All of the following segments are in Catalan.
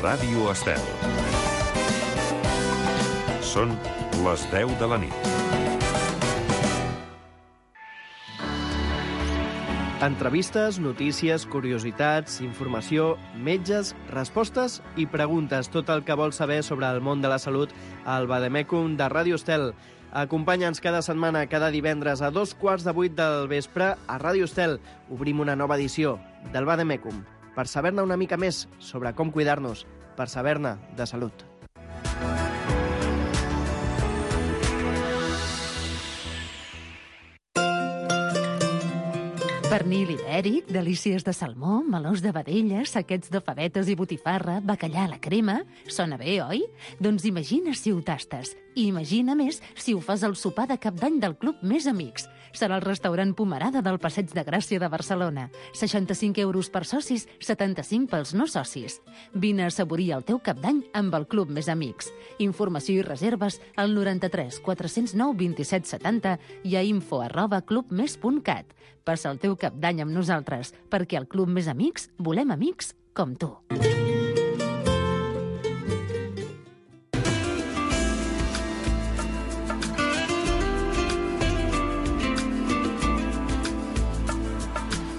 Ràdio Estel. Són les 10 de la nit. Entrevistes, notícies, curiositats, informació, metges, respostes i preguntes. Tot el que vols saber sobre el món de la salut al Vademecum de Ràdio Estel. Acompanya'ns cada setmana, cada divendres a 7:15 del vespre a Ràdio Estel. Obrim una nova edició del Vademecum per saber-ne una mica més sobre com cuidar-nos, per saber-ne de salut. Pernil ibèric, delícies de salmó, melós de vedella, saquets de favetes i botifarra, bacallà a la crema... Sona bé, oi? Doncs imagina si ho tastes. I imagina més si ho fas al sopar de cap d'any del Club Més Amics. Serà el restaurant Pomerada del Passeig de Gràcia de Barcelona. 65 € per socis, 75 pels no socis. Vine a assaborir el teu cap d'any amb el Club Més Amics. Informació i reserves al 93 409 27 70 i a info@clubmes.cat. Passa el teu cap d'any amb nosaltres, perquè al Club Més Amics volem amics com tu.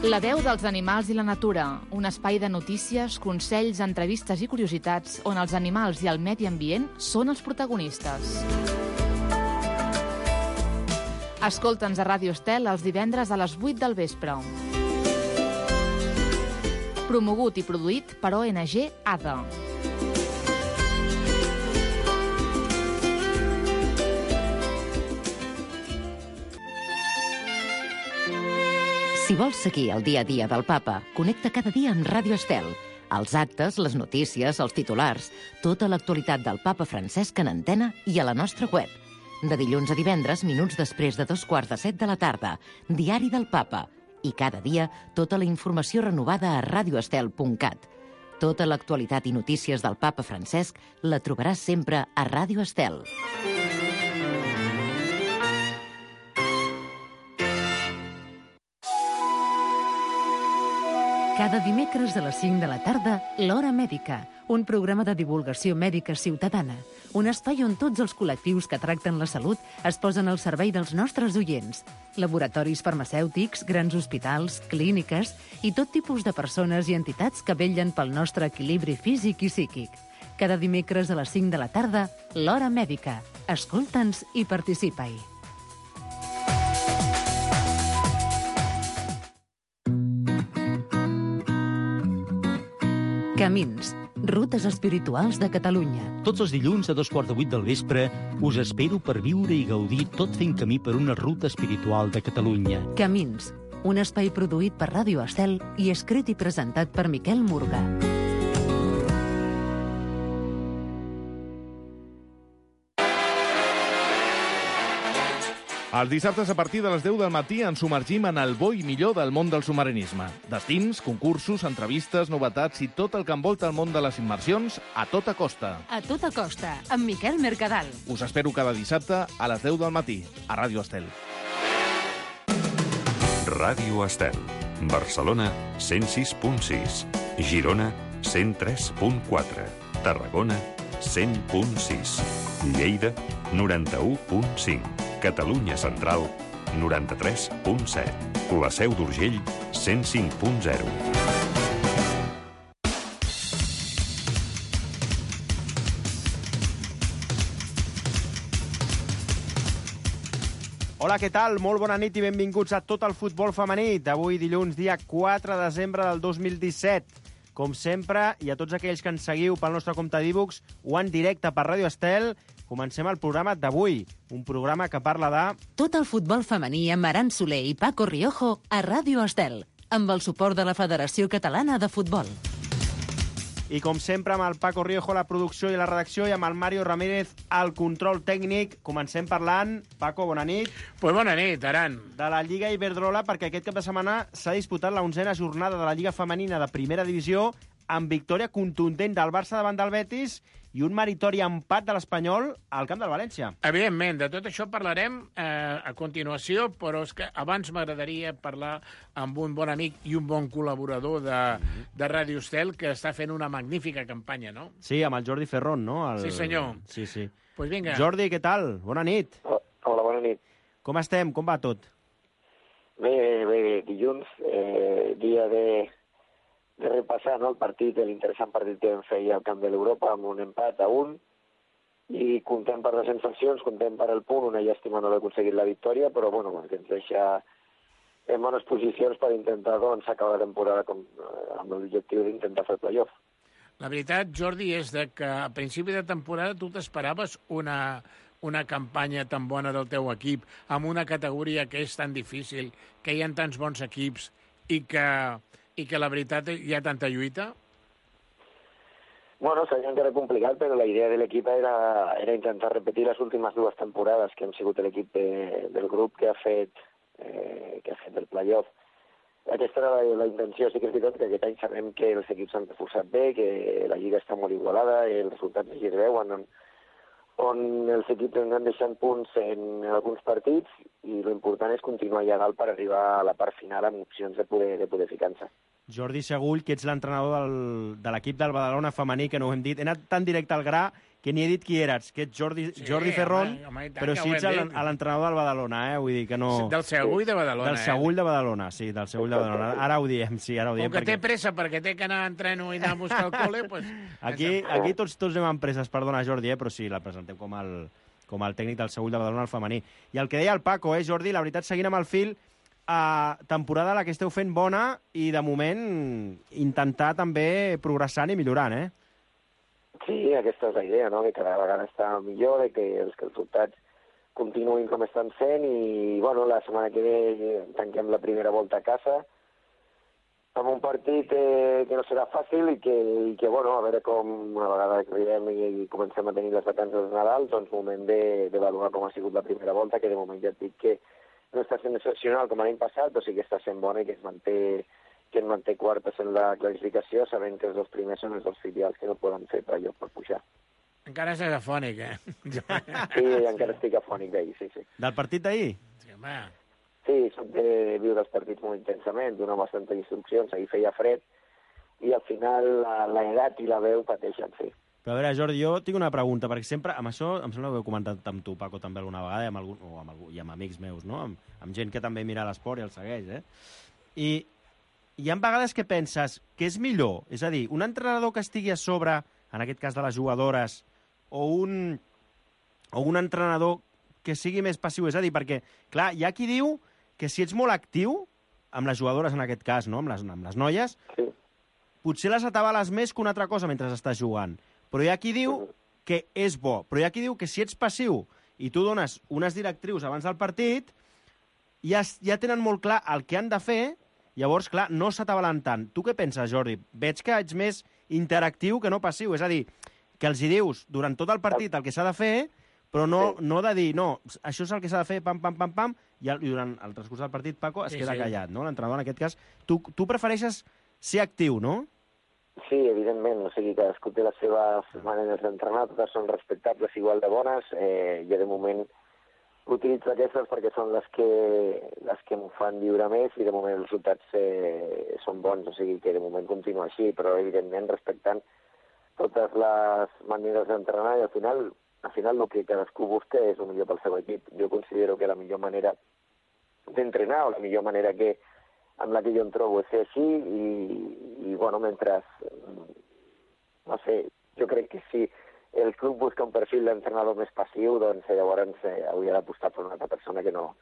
La veu dels animals i la natura, un espai de notícies, consells, entrevistes i curiositats on els animals i el medi ambient són els protagonistes. Escolta'ns a Ràdio Estel els divendres a les 8 del vespre. Promogut i produït per ONG ADA. Si vols seguir el dia a dia del Papa, connecta cada dia amb Ràdio Estel. Els actes, les notícies, els titulars, tota l'actualitat del Papa Francesc en antena i a la nostra web. De dilluns a divendres, minuts després de 7:15 de la tarda, Diari del Papa. I cada dia, tota la informació renovada a radioestel.cat. Tota l'actualitat i notícies del Papa Francesc la trobaràs sempre a Ràdio Estel. Cada dimecres a les 5 de la tarda, L'Hora Mèdica, un programa de divulgació mèdica ciutadana. Un espai on tots els col·lectius que tracten la salut es posen al servei dels nostres oients. Laboratoris farmacèutics, grans hospitals, clíniques i tot tipus de persones i entitats que vetllen pel nostre equilibri físic i psíquic. Cada dimecres a les 5 de la tarda, L'Hora Mèdica. Escolta'ns i participa-hi. Camins, rutes espirituals de Catalunya. Tots els dilluns a 7:15 del vespre us espero per viure i gaudir tot fent camí per una ruta espiritual de Catalunya. Camins, un espai produït per Ràdio Estel i escrit i presentat per Miquel Murga. Els dissabtes a partir de les 10 del matí ens submergim en el bo i millor del món del submarinisme. Destins, concursos, entrevistes, novetats i tot el que envolta el món de les immersions a tota costa. A tota costa, amb Miquel Mercadal. Us espero cada dissabte a les 10 del matí a Ràdio Estel. Ràdio Estel. Barcelona, 106.6. Girona, 103.4. Tarragona, 100.6. Lleida, 91.5. Catalunya Central, 93.7. La Seu d'Urgell, 105.0. Hola, què tal? Molt bona nit i benvinguts a tot el futbol femení. D'avui dilluns, dia 4 de desembre del 2017. Com sempre, i a tots aquells que ens seguiu pel nostre compte d'e-books o en directe per Ràdio Estel, comencem el programa d'avui, un programa que parla de... Tot el futbol femení amb Aran Soler i Paco Riojo a Ràdio Estel, amb el suport de la Federació Catalana de Futbol. I com sempre, amb el Paco Riojo a la producció i la redacció i amb el Mario Ramírez al control tècnic. Comencem parlant, Paco, bona nit. Pues bona nit, Aran. De la Lliga Iberdrola, perquè aquest cap de setmana s'ha disputat la 11a jornada de la Lliga Femenina de Primera Divisió amb victòria contundent del Barça davant del Betis i un meritori empat de l'Espanyol al camp del València. Evidentment, de tot això parlarem a continuació, però és que abans m'agradaria parlar amb un bon amic i un bon col·laborador de Ràdio Estel, que està fent una magnífica campanya, no? Sí, amb el Jordi Ferrón, no? Sí, senyor. Sí, sí. Pues vinga. Jordi, què tal? Bona nit. Hola, bona nit. Com estem? Com va tot? Bé, dilluns, dia de repassar, no, el partit, l'interessant partit que vam fer ahir al camp de l'Europa amb un empat a 1, i contem per les sensacions, contem per el punt, una llàstima no haver aconseguit la victòria, però bueno, que ens deixa en bones posicions per intentar doncs, acabar la temporada amb l'objectiu d'intentar fer el playoff. La veritat, Jordi, és que a principi de temporada tu t'esperaves una campanya tan bona del teu equip, amb una categoria que és tan difícil, que hi ha tants bons equips i que la veritat hi ha tanta lluita? Bueno, seria encara complicat, però la idea de l'equip era intentar repetir les últimes 2 temporades que hem sigut l'equip del grup que ha fet el playoff. Aquesta era la intenció. Sí que és veritat que aquest any sabem que els equips s'han reforçat bé, que la lliga està molt igualada, els resultats així es veuen, on els equips ens han deixat punts en alguns partits, i l'important és continuar allà dalt per arribar a la part final amb opcions de poder ficar-se. Jordi Segull, que ets l'entrenador de l'equip del Badalona femení, que no ho hem dit. He anat tan directe al gra que ni he dit qui eres, que ets Jordi Ferrón, però sí ets l'entrenador del Badalona, vull dir que no... Del Segull de Badalona, Del Segull de Badalona, sí, del Segull de Badalona. Ara ho diem, sí, ara ho diem. Com que té pressa perquè té que anar a entreno i anar a buscar el col·le, doncs... Aquí tots anem amb presses, perdona, Jordi, però sí, la presentem com el tècnic del Segull de Badalona, el femení. I el que deia el Paco, Jordi, la veritat, seguint amb el fil, temporada la que esteu fent bona i, de moment, intentar també progressant i millorant, Sí, aquesta és la idea, no? Que cada vegada està millor, que els resultats continuïn com estan sent, i bueno, la setmana que ve tanquem la primera volta a casa amb un partit que no serà fàcil i que bueno, a veure com a vegada que arribem i comencem a tenir les vacances de Nadal, doncs moment d'avaluar com ha sigut la primera volta, que de moment ja et dic que no està sent excepcional com l'any passat, però sí que està sent bona i que ens manté quartes en la classificació, sabent que els 2 primers són els 2 filials que no poden fer per allò per pujar. Encara estàs afònic, Sí, encara estic afònic d'ahir, sí. Del partit d'ahir? Sí, home. Sí, soc de viure els partits molt intensament, donar bastanta instruccions, ahir feia fred, i al final l'edat i la veu pateixen, sí. Però a veure, Jordi, jo tinc una pregunta, perquè sempre, amb això, em sembla que ho he comentat amb tu, Paco, també alguna vegada, i amb amics meus, no? Amb gent que també mira l'esport i el segueix, I hi ha vegades que penses que és millor, és a dir, un entrenador que estigui a sobre, en aquest cas de les jugadores, o un entrenador que sigui més passiu, és a dir, perquè, clar, hi ha qui diu que si ets molt actiu, amb les jugadores en aquest cas, no? amb les noies, sí, potser les atabales més que una altra cosa mentre estàs jugant. Però hi ha qui diu que és bo, però hi ha qui diu que si ets passiu i tu dones unes directrius abans del partit, ja tenen molt clar el que han de fer. Llavors, clar, no s'atabalen tant. Tu què penses, Jordi? Veig que ets més interactiu que no passiu. És a dir, que els hi dius durant tot el partit el que s'ha de fer, però no de dir, no, això és el que s'ha de fer, pam, i durant el transcurs del partit, Paco, es queda callat, no? L'entrenador, en aquest cas, tu prefereixes ser actiu, no? Sí, evidentment. O sigui, cadascú té les seves maneres d'entrenar, totes són respectables, igual de bones. Jo, de moment, utilitzo aquestes perquè són les que m'ho fan viure més, i de moment els resultats són bons, o sigui que de moment continua així, però evidentment respectant totes les maneres d'entrenar, i al final el que cadascú busca és el millor pel seu equip. Jo considero que la millor manera d'entrenar, o la millor manera amb la que jo em trobo, és ser així, i bueno, mentre no sé, jo crec que si el club busca un perfil d'entrenador més passiu, doncs llavors hauria d'apostar per una altra persona que no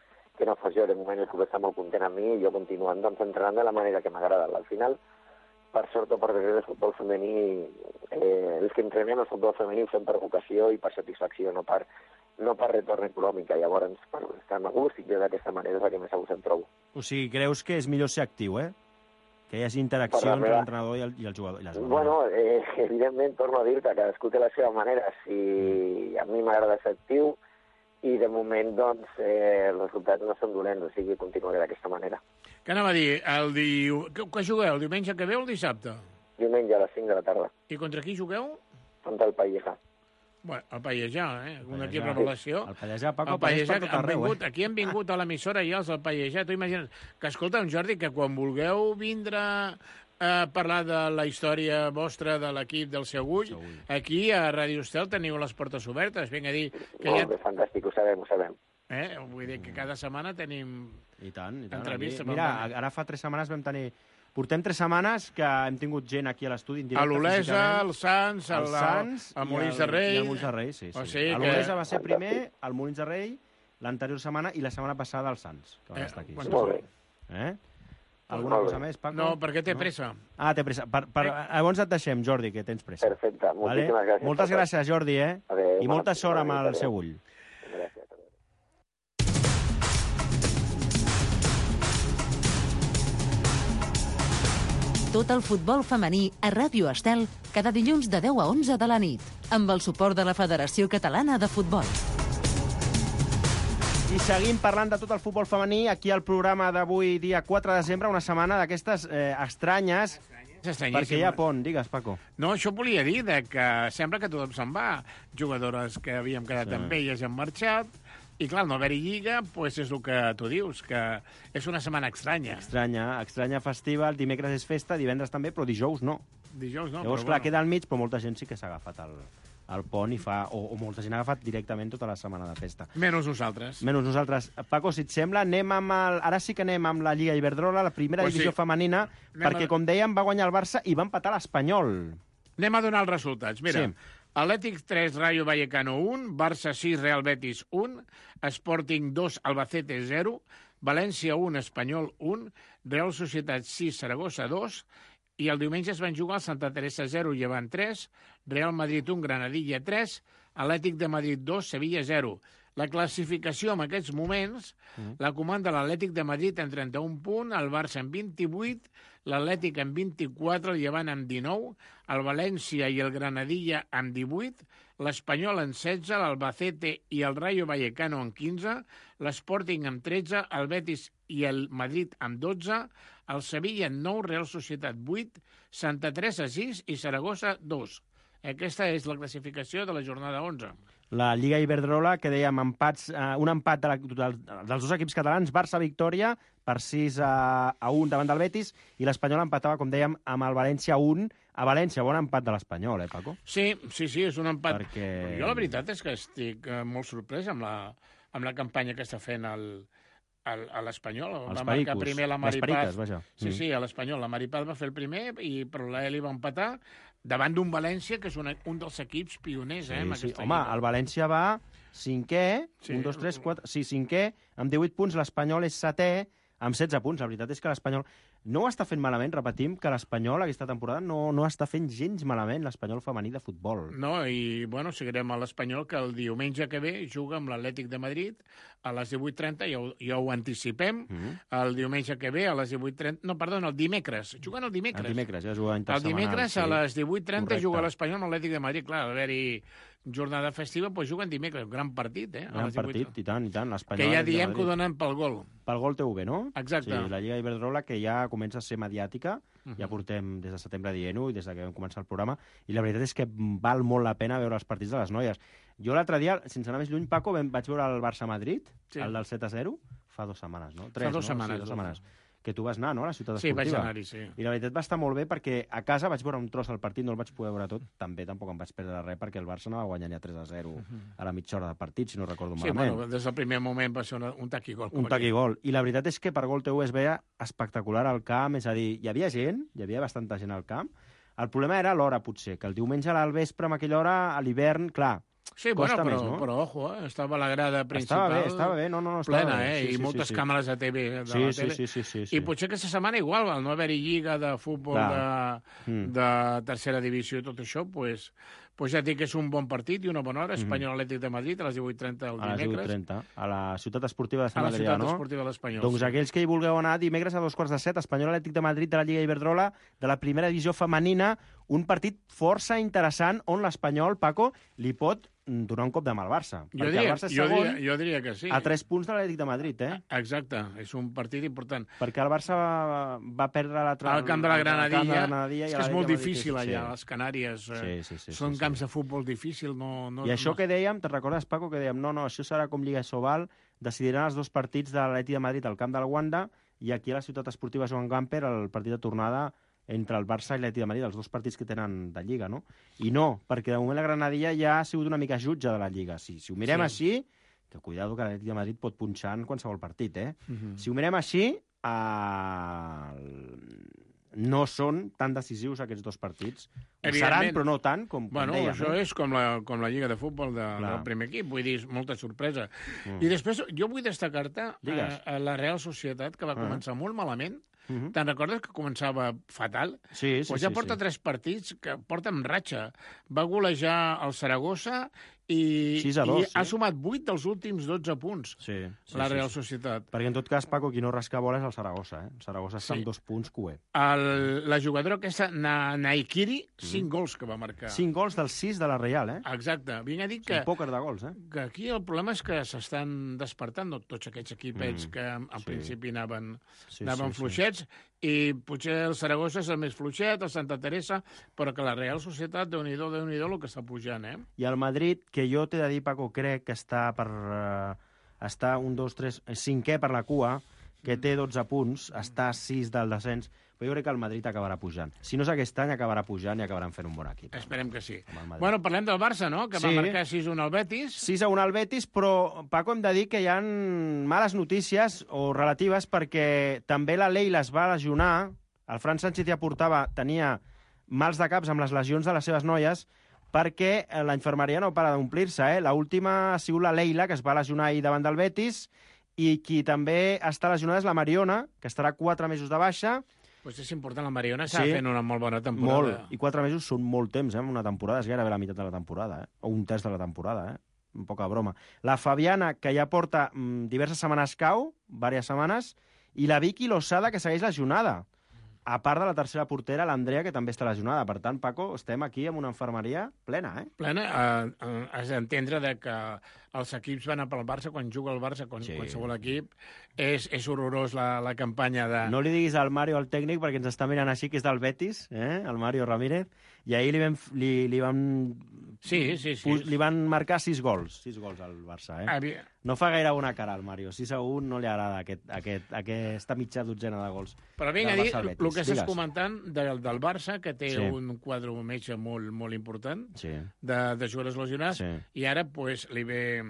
fos jo. De moment el club està molt content amb mi, i jo continuant doncs, entrenant de la manera que m'agrada. Al final, per sort o per desgràcia, el futbol femení, els que entrenem el futbol femení ho fem per vocació i per satisfacció, no per retorn econòmic. Llavors, per estar a gust, i d'aquesta manera és la que més a gust em trobo. O sigui, creus que és millor ser actiu, que hi hagi interacció entre l'entrenador i el jugador. I les bueno, evidentment, torno a dir que cadascú té la seva manera. Si a mi m'agrada ser actiu, i de moment, doncs, els resultats no són dolents, o sigui, continuaré d'aquesta manera. Què anava a dir? Que jugueu? El diumenge que ve o el dissabte? Diumenge a les 5 de la tarda. I contra qui jugueu? contra el Pallejà. Bueno, el Pallejà, un equip revelació. El Pallejà, Paco, el Pallejà, apareix per tot arreu, aquí han vingut a l'emissora i els del Pallejà. Tu imagines que, escolta, Jordi, que quan vulgueu vindre a parlar de la història vostra de l'equip del Segull, aquí a Ràdio Estel teniu les portes obertes. Vinc a dir que Molt bé, fantàstic, ho sabem. Vull dir que cada setmana tenim entrevistes. Mira, ara fa 3 setmanes vam tenir... Portem 3 setmanes que hem tingut gent aquí a l'estudi en directe. A l'Olesa, el Sants, el Molins de Rei. I el Molins de Rei, sí. L'Olesa va ser primer, el Molins de Rei, l'anterior setmana i la setmana passada el Sants, que va estar aquí. Molt bé. Alguna cosa més, Paco? No, perquè té pressa. Ah, té pressa. Llavors et deixem, Jordi, que tens pressa. Perfecte, moltíssimes gràcies. Moltes gràcies, Jordi, Adéu, i molta sort amb el Segull. Gràcies. Tot el futbol femení a Ràdio Estel cada dilluns de 10 a 11 de la nit, amb el suport de la Federació Catalana de Futbol. I seguim parlant de tot el futbol femení aquí al programa d'avui, dia 4 de desembre, una setmana d'aquestes estranyes, perquè hi ha pont. Digues, Paco. No, això volia dir que sembla que tothom se'n va. Jugadores que havíem quedat amb elles han marxat, i clar, no haver-hi lliga, doncs és el que tu dius, que és una setmana estranya. Estranya festiva, el dimecres és festa, divendres també, però dijous no. Llavors, clar, queda al mig, però molta gent sí que s'ha agafat el pont i fa... O molta gent ha agafat directament tota la setmana de festa. Menys nosaltres. Paco, si et sembla, ara sí que anem amb la Lliga Iberdrola, la primera divisió femenina, perquè, com dèiem, va guanyar el Barça i va empatar l'Espanyol. Anem a donar els resultats. Mira, Atlètic 3, Rayo Vallecano 1, Barça 6, Real Betis 1, Sporting 2, Albacete 0, València 1, Espanyol 1, Real Societat 6, Saragossa 2, i el diumenge es van jugar el Santa Teresa 0, Llevant 3, Real Madrid 1, Granadilla 3, Atlètic de Madrid 2, Sevilla 0. La classificació en aquests moments la comanda l'Atlètic de Madrid en 31 punts, el Barça en 28, l'Atlètic en 24, el Llevant en 19, el València i el Granadilla en 18, l'Espanyol en 16, l'Albacete i el Rayo Vallecano en 15, l'Sporting en 13, el Betis i el Madrid en 12, el Sevilla en 9, Real Societat 8, Santa Teresa 6 i Saragossa 2. Aquesta és la classificació de la jornada 11. La Lliga Iberdrola, que dèiem empats, un empat dels dos equips catalans, Barça-Victòria, per 6-1 davant del Betis, i l'Espanyol empatava, com dèiem, amb el València 1. A València, bon empat de l'Espanyol, Paco? Sí, és un empat. Jo la veritat és que estic molt sorprès amb la campanya que està fent a l'Espanyol. Va marcar primer la Maripaz. Sí, a l'Espanyol. La Maripaz va fer el primer, però l'Eli va empatar davant d'un València, que és un dels equips pioners en aquesta lliga. Home, el València va cinquè, 1, 2, 3, 4... Sí, cinquè, amb 18 punts. L'Espanyol és setè, amb 16 punts. La veritat és que l'Espanyol no ho està fent malament. Repetim que l'Espanyol aquesta temporada no està fent gens malament, l'Espanyol femení de futbol. No, i seguirem a l'Espanyol, que el diumenge que ve juga amb l'Atlètic de Madrid a les 18:30, ja ho anticipem. El diumenge que ve a les 18:30... No, perdona, el dimecres. Juguen el dimecres. El dimecres, ja juga intersetmanal. El dimecres a les 18:30 juga l'Espanyol amb l'Atlètic de Madrid. Clar, al haver-hi jornada festiva, doncs juguen dimecres. Gran partit, Gran partit, i tant. Que ja diem que ho donen pel gol. Pel Gol TV, no? Exacte. Sí, la Lliga Iberdrola, que ja comença a ser mediàtica, ja portem des de setembre dient-ho i des que vam començar el programa, i la veritat és que val molt la pena veure els partits de les noies. Jo l'altre dia, sense anar més lluny, Paco, vaig veure el Barça-Madrid, el del 7-0, fa 2 setmanes, no? 3, fa 2 setmanes. Sí, 2 setmanes. Que tu vas anar, no?, a la ciutat esportiva. Sí, vaig anar-hi, sí. I la veritat va estar molt bé perquè a casa vaig veure un tros del partit, no el vaig poder veure tot, tampoc em vaig perdre res perquè el Barça no va guanyar ni a 3-0 a la mitja hora del partit, si no recordo malament. Sí, bueno, des del primer moment va ser un taqui-gol. Un taqui-gol. I la veritat és que per Gol TV es veia espectacular al camp, és a dir, hi havia bastanta gent al camp. El problema era l'hora, potser, que el diumenge al vespre, amb aquella hora, a l'hivern, clar, sí, bueno, però ojo, estava la grada principal estava bé, plena, i moltes càmeres de TV de la tele. Sí. I potser aquesta setmana igual, al no haver-hi lliga de futbol de tercera divisió i tot això, doncs ja dic que és un bon partit i una bona hora. Espanyol Atlètic de Madrid a les 18:30 el dimecres. A les 18:30, a la ciutat esportiva de Sant Adrià, no? A la ciutat esportiva de l'Espanyol. Doncs aquells que hi vulgueu anar, dimecres a 2:15, Espanyol Atlètic de Madrid de la Lliga Iberdrola, de la primera divisió femenina, un partit força interessant on l'Espanyol, Paco, li pot donar un cop de mà al Barça. Jo perquè el Barça és segon jo diria que sí. a 3 punts de l'Atlètic de Madrid, Exacte, és un partit important. Perquè el Barça va perdre l'altre... Al camp de la Granadilla, és que és molt Madrid, difícil allà, a les Canàries. Són camps de futbol difícil. I això que dèiem, te'n recordes, Paco, que dèiem, no, això serà com Lliga Sobal, decidiran els 2 partits de l'Atlètic de Madrid al camp del Wanda i aquí a la ciutat esportiva Joan Gamper el partit de tornada entre el Barça i l'Atlètic de Madrid, els 2 partits que tenen de Lliga, no? I no, perquè de moment la Granadilla ja ha sigut una mica jutge de la Lliga. Si ho mirem així, que cuidado que l'Atlètic de Madrid pot punxar en qualsevol partit, Si ho mirem així, no són tan decisius aquests 2 partits. Ho seran, però no tant, com dèiem. Això és com la Lliga de Futbol del primer equip, vull dir, molta sorpresa. I després, jo vull destacar-te la Real Societat, que va començar molt malament. Te'n recordes que començava fatal? Sí. Ja porta 3 partits que porta amb ratxa. Va golejar el Saragossa i ha sumat 8 dels últims 12 punts, la Real Societat. Perquè, en tot cas, Paco, qui no rasca bola és el Saragossa. El Saragossa està amb 2 punts cué. La jugadora aquesta, Naikiri, 5 gols que va marcar. 5 gols dels 6 de la Real, Exacte. Vinc a dir que... Un pòquer de gols, que aquí el problema és que s'estan despertant tots aquests equipets que en principi anaven fluixets, i potser el Saragossa és el més fluixet, el Santa Teresa, però que la Real Societat, Déu-n'hi-do el que està pujant, I el Madrid, que jo t'he de dir, Paco, crec que està per... està 1, 2, 3... 5è per la cua, que té 12 punts, està a 6 del descens, però jo crec que el Madrid acabarà pujant. Si no és aquest any, acabarà pujant i acabaran fent un bon equip. Esperem que sí. Bueno, parlem del Barça, no?, que va marcar 6-1 al Betis. 6-1 al Betis, però, Paco, hem de dir que hi ha males notícies o relatives perquè també la Leila es va lesionar, el Fran Sánchez ja tenia mals de caps amb les lesions de les seves noies, perquè la infermeria no para d'omplir-se. L'última ha sigut la Leila, que es va lesionar ahir davant del Betis, i qui també està lesionada és la Mariona, que estarà 4 mesos de baixa. Pues és important, la Mariona està fent una molt bona temporada. Molt, i 4 mesos són molt temps, en una temporada, és gairebé la meitat de la temporada, o un terç de la temporada, poca broma. La Fabiana, que ja porta diverses setmanes cau, diverses setmanes, i la Vicky Losada, que segueix lesionada. A part de la tercera portera, l'Andrea, que també està lesionada. Per tant, Paco, estem aquí amb una infermeria plena, Plena. Has d'entendre que els equips van a pel Barça, quan juga el Barça, qualsevol equip, és horrorós la campanya de... No li diguis al Mario, al tècnic, perquè ens està mirant així, que és del Betis, el Mario Ramírez, i ahir li van marcar 6 gols al Barça, No fa gaire bona cara al Mario. 6-1 no li agrada aquesta mitja dotzena de gols. Però vinga, a dir el que estàs comentant del Barça, que té un quadre metge molt important de jugadors lesionats, i ara li ve...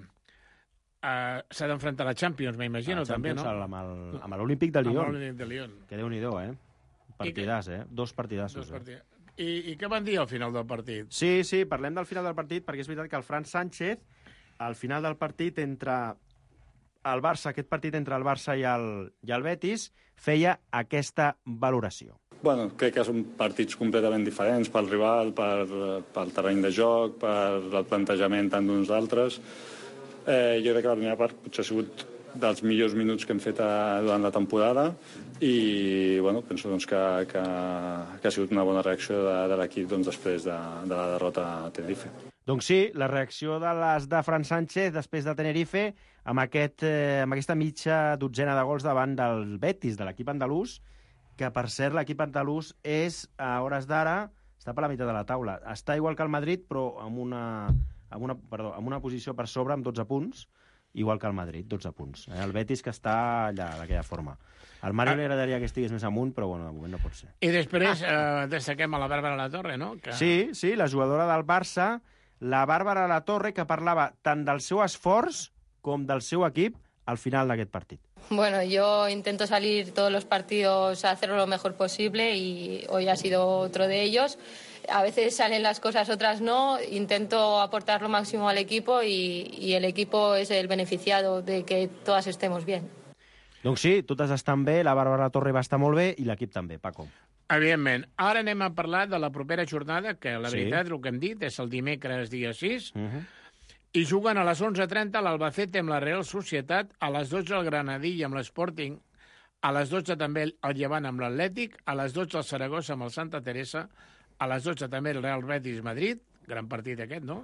s'ha d'enfrontar a la Champions, m'imagino, també, no? Amb l'Olímpic de Lyon. Amb l'Olímpic de Lyon. Que Déu-n'hi-do, Partidàs, 2 partidassos. I què van dir al final del partit? Sí, parlem del final del partit, perquè és veritat que el Fran Sánchez, al final del partit entre el Barça, aquest partit entre el Barça i el Betis, feia aquesta valoració. Bueno, crec que són partits completament diferents pel rival, pel terreny de joc, pel plantejament tant d'uns d'altres. Jo crec que la primera part potser ha sigut dels millors minuts que hem fet durant la temporada i penso que ha sigut una bona reacció de l'equip després de la derrota a Tenerife. Doncs sí, la reacció de Fran Sánchez després de Tenerife amb aquesta mitja dotzena de gols davant del Betis, de l'equip andalús, que per cert l'equip andalús és, a hores d'ara, està per la meitat de la taula. Està igual que el Madrid, però amb una posició per sobre, amb 12 punts, igual que el Madrid, 12 punts. El Betis, que està allà, d'aquella forma. Al Mario li agradaria que estigués més amunt, però de moment no pot ser. I després destaquem a la Bàrbara Latorre, no? Sí, la jugadora del Barça, la Bàrbara Latorre, que parlava tant del seu esforç com del seu equip al final d'aquest partit. Bueno, yo intento salir todos los partidos a hacerlo lo mejor posible y hoy ha sido otro de ellos. A veces salen las cosas, otras no. Intento aportar lo máximo al equipo y el equipo es el beneficiado de que todas estemos bien. Doncs sí, totes estan bé, la Bàrbara Torre va estar molt bé i l'equip també, Paco. Evidentment. Ara anem a parlar de la propera jornada, que la veritat, el que hem dit, és el dimecres dia 6, i juguen a les 11:30 l'Albacete amb la Real Societat, a les 12 el Granadilla amb l'Sporting, a les 12 també el Llevant amb l'Atlètic, a les 12 el Saragossa amb el Santa Teresa, a les 12 també el Real Betis Madrid, gran partit aquest, no?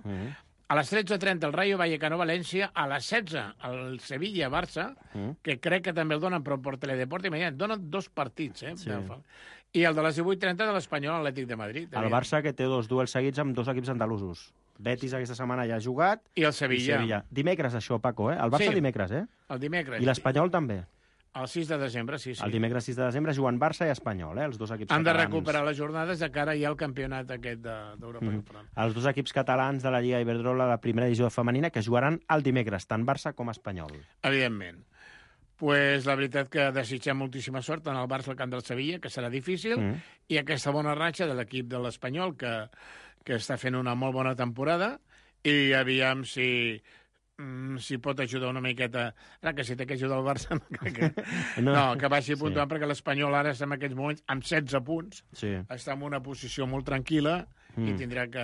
A les 13:30 el Rayo Vallecano-València, a les 16 el Sevilla-Barça, que crec que també el donen, però per Teledeport, imagina't, donen 2 partits, Sí. I el de les 18:30 de l'Espanyol Atlètic de Madrid. El Barça, que té 2 duels seguits amb 2 equips andalusos. Betis aquesta setmana ja ha jugat. I el Sevilla. Dimecres, això, Paco, El Barça dimecres, El dimecres. I l'Espanyol també. El 6 de desembre, sí. El dimecres 6 de desembre juguen Barça i Espanyol, els dos equips Han de catalans. recuperar les jornades de cara ja al campionat aquest d'Europa. Els dos equips catalans de la Lliga Iberdrola, la primera divisió femenina, que jugaran el dimecres, tant Barça com Espanyol. Evidentment. Pues la veritat que desitgem moltíssima sort en el Barça al camp del Sevilla, que serà difícil, i aquesta bona ratxa de l'equip de l'Espanyol, que està fent una molt bona temporada, i aviam si pot ajudar una miqueta. Ara que si té que ajudar el Barça, que vagi puntuant, perquè l'Espanyol ara està en aquests moments amb 16 punts, està en una posició molt tranquil·la i tindrà que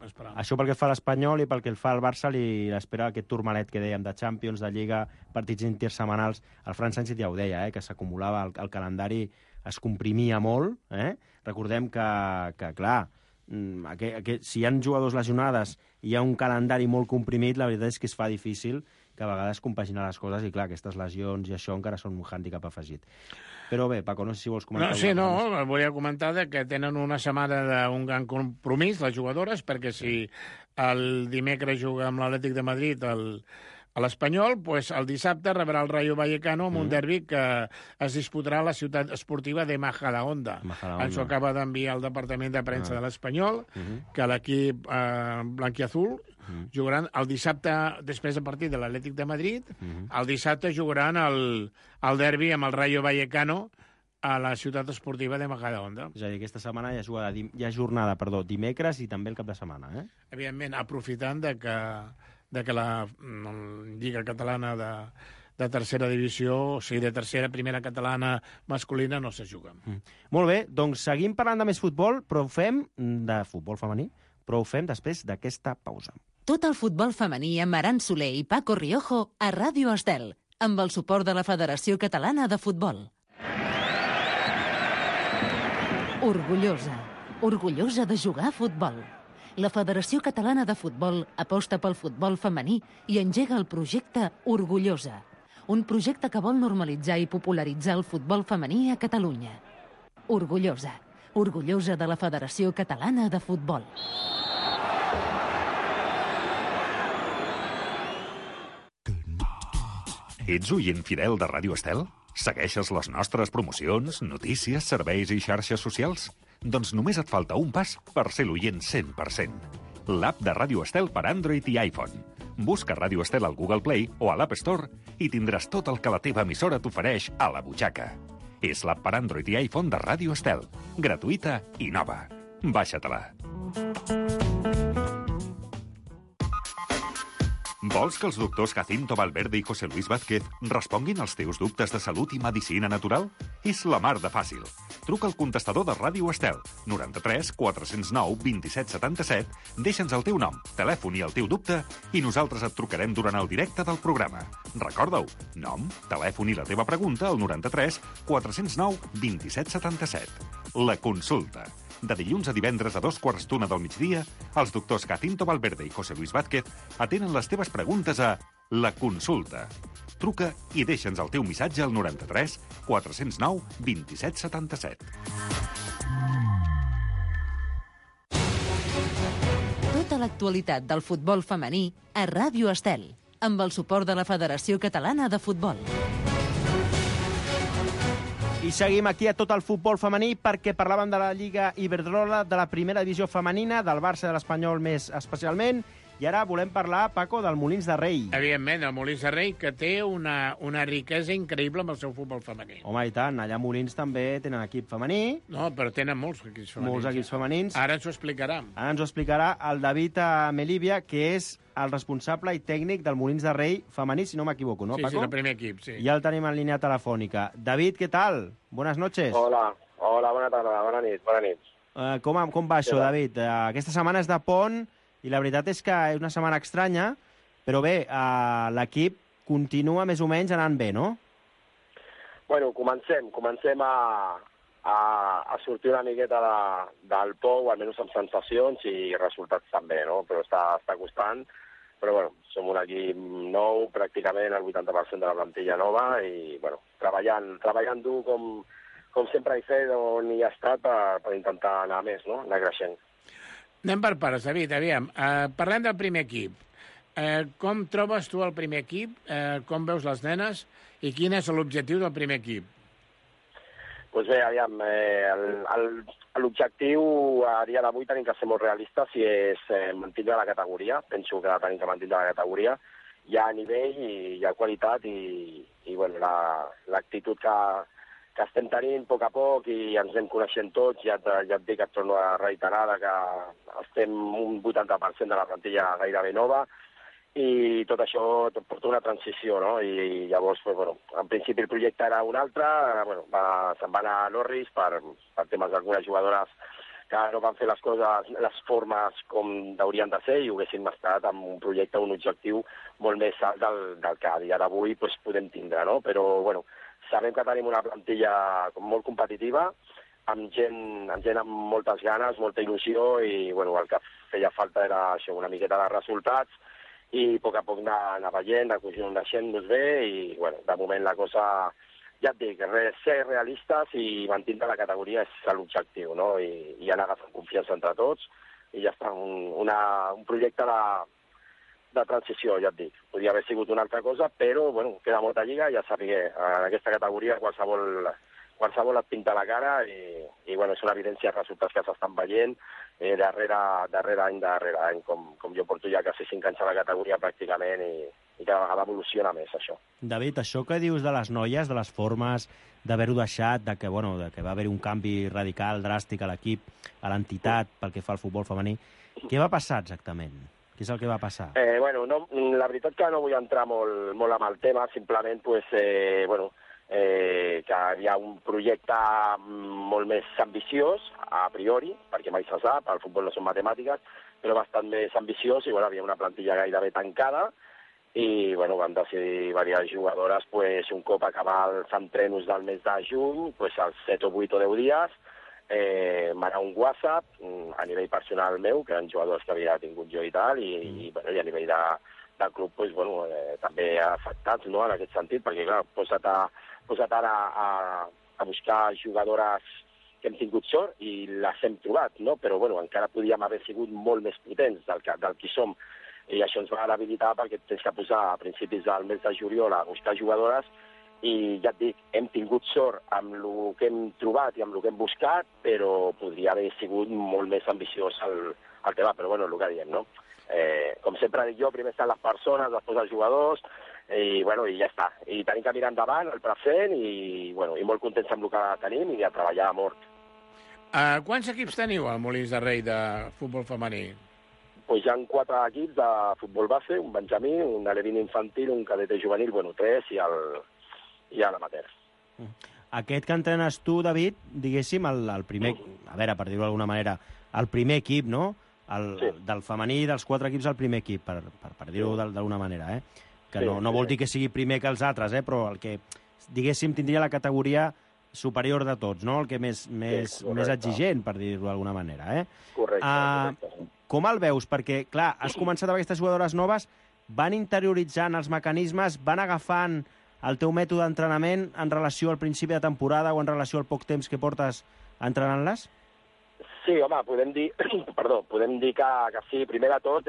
esperar. Això pel que fa a l'Espanyol, i pel que fa al Barça li espera aquest turmalet que dèiem de Champions, de Lliga, partits intersetmanals. El Fran Sánchez ja ho deia, que s'acumulava, el calendari es comprimia molt. Recordem que clar, si hi ha jugadors lesionades i hi ha un calendari molt comprimit, la veritat és que es fa difícil que a vegades compaginar les coses, i clar, aquestes lesions i això encara són un hàndicap afegit. Però bé, Paco, no sé si vols comentar... Volia comentar que tenen una setmana d'un gran compromís, les jugadores, perquè si el dimecres juga amb l'Atlètic de Madrid a l'Espanyol, doncs el dissabte rebrà el Rayo Vallecano amb un derbi que es disputarà a la ciutat esportiva de Majadahonda. Ens ho acaba d'enviar el Departament de Premsa de l'Espanyol, que l'equip blanquiazul jugaran el dissabte, després del partit de l'Atlètic de Madrid, el dissabte jugaran el derbi amb el Rayo Vallecano a la ciutat esportiva de Majadahonda. És a dir, aquesta setmana hi ha jornada, dimecres i també el cap de setmana. Evidentment, aprofitant de que la Lliga Catalana de tercera divisió, o sigui, de tercera, primera catalana masculina, no se juga. Molt bé, doncs seguim parlant de més futbol, però ho fem de futbol femení, però ho fem després d'aquesta pausa. Tot el futbol femení amb Aran Soler i Paco Riojo a Ràdio Estel, amb el suport de la Federació Catalana de Futbol. Orgullosa de jugar a futbol. La Federació Catalana de Futbol aposta pel futbol femení i engega el projecte Orgullosa, un projecte que vol normalitzar i popularitzar el futbol femení a Catalunya. Orgullosa de la Federació Catalana de Futbol. Ets oient fidel de Ràdio Estel? Segueixes les nostres promocions, notícies, serveis i xarxes socials? Doncs només et falta un pas per ser l'oient 100%. L'app de Ràdio Estel per Android i iPhone. Busca Ràdio Estel al Google Play o a l'App Store i tindràs tot el que la teva emissora t'ofereix a la butxaca. És l'app per Android i iPhone de Ràdio Estel. Gratuïta i nova. Baixa-te-la. Vols que els doctors Jacinto Valverde i José Luis Vázquez responguin als teus dubtes de salut i medicina natural? És la mar de fàcil. Truca al contestador de Ràdio Estel, 93 409 27 77, deixa'ns el teu nom, telèfon i el teu dubte i nosaltres et trucarem durant el directe del programa. Recorda-ho, nom, telèfon i la teva pregunta al 93 409 27 77. La consulta. De dilluns a divendres a 2:15 del migdia, els doctors Jacinto Valverde i José Luis Vázquez atenen les teves preguntes a La Consulta. Truca i deixa'ns el teu missatge al 93 409 27 77. Tota l'actualitat del futbol femení a Ràdio Estel, amb el suport de la Federació Catalana de Futbol. I seguim aquí a tot el futbol femení perquè parlàvem de la Lliga Iberdrola, de la primera divisió femenina, del Barça i de l'Espanyol més especialment, i ara volem parlar, Paco, del Molins de Rei. Evidentment, el Molins de Rei, que té una riquesa increïble amb el seu futbol femení. Home, i tant, allà a Molins també tenen equip femení. No, però tenen molts equips femenins. Molts equips femenins. Ara ens ho explicarà. Ara ens ho explicarà el David Melívia, que és el responsable i tècnic del Molins de Rei femení, si no m'equivoco, ¿no, Paco? Sí, el primer equip, sí. Ja el tenim en línia telefònica. David, què tal? Buenas noches. Hola, bona tarda, bona nit. Com va això, David? Aquesta setmana és de pont i la veritat és que és una setmana estranya, però bé, l'equip continua més o menys anant bé, no? Bueno, comencem a sortir una miqueta del pou, almenys amb sensacions i resultats també, no? Però està costant. Però, bueno, som un equip nou, pràcticament el 80% de la plantilla nova i, bueno, treballant dur com sempre he fet on hi ha estat per intentar anar més, no? Anar creixent. Anem per parts, David, aviam. Parlem del primer equip. Com trobes tu el primer equip? Com veus les nenes? I quin és l'objectiu del primer equip? Doncs bé, aviam, l'objectiu a dia d'avui tenim que ser molt realistes i és mantindre la categoria. Penso que tenim que mantindre la categoria. Hi ha nivell i hi ha qualitat i bueno, l'actitud que estem tenint a poc i ens anem coneixent tots. Ja et dic, et torno a reiterar que estem un 80% de la plantilla gairebé nova i tot això porta una transició, no? I llavors, bueno, en principi el projecte era un altre, bueno, se'n va anar a Norris per temes d'algunes jugadores que no van fer les coses, les formes com haurien de ser i haguéssim estat amb un projecte, un objectiu molt més alt del que a dia d'avui podem tindre, no? Però, bueno, sabem que tenim una plantilla molt competitiva, amb gent amb moltes ganes, molta il·lusió i bueno, el que feia falta era això, una miqueta de resultats i a poc anar veient, coneixent-nos bé i bueno, de moment la cosa, ja et dic, ser realistes i mantindre la categoria és l'objectiu, no? I anar agafant confiança entre tots i ja està, un projecte de transició, ja et dic. Podria haver sigut una altra cosa, però bueno, queda molta lliga i ja sabia, en aquesta categoria qualsevol et pinta la cara i bueno, és una evidència de resultats que s'estan veient darrere any, com jo porto ja quasi 5 anys a la categoria pràcticament i cada vegada evoluciona més això. David, això que dius de les noies, de les formes, d'haver-ho deixat, de que va haver un canvi radical, dràstic a l'equip, a l'entitat pel que fa al futbol femení, què va passar exactament? Què és el que va passar? Bueno, la veritat que no vull entrar molt amb el tema, simplement que hi ha un projecte molt més ambiciós, a priori, perquè mai se sap, el futbol no són matemàtiques, però bastant més ambiciós, i bueno, havia una plantilla gairebé tancada, i bueno, vam decidir diverses jugadores, un cop acabar els entrenos del mes de juny, als 7 o 8 o 10 dies, m'anar un WhatsApp a nivell personal meu, que eren jugadors que havia tingut jo i tal, i a nivell del club també afectats, no?, en aquest sentit, perquè clar, posa't ara a buscar jugadores que hem tingut sort i les hem trobat, no? Però bueno, encara podíem haver sigut molt més potents del que som, i això ens va habilitar perquè tens que posar a principis del mes de juliol a buscar jugadores i ja et dic, hem tingut sort amb el que hem trobat i amb el que hem buscat, però podria haver sigut molt més ambiciós el tema, però bueno, el que diem, no? Com sempre dic jo, primer estan les persones, després els jugadors, i bueno, i ja està. I tenim que mirar endavant, el present, i molt contents amb el que tenim i a treballar a mort. Quants equips teniu al Molins de Rei de futbol femení? Hi ha 4 equips de futbol base, un benjamí, un alevín infantil, un cadete juvenil, 3 i l'amateur. Aquest que entrenes tu, David, diguéssim, el primer, a veure, per dir-ho d'alguna manera, el primer equip, no? Del femení dels 4 equips, el primer equip, per dir-ho d'alguna manera, que no vol dir que sigui primer que els altres, però el que, diguéssim, tindria la categoria superior de tots, no? El que més exigent, per dir-ho d'alguna manera, Correcte. Com el veus? Perquè, clar, has començat amb aquestes jugadores noves, van interioritzant els mecanismes, van agafant el teu mètode d'entrenament en relació al principi de temporada o en relació al poc temps que portes entrenant-les? Sí, home, podem dir que sí. Primer de tot,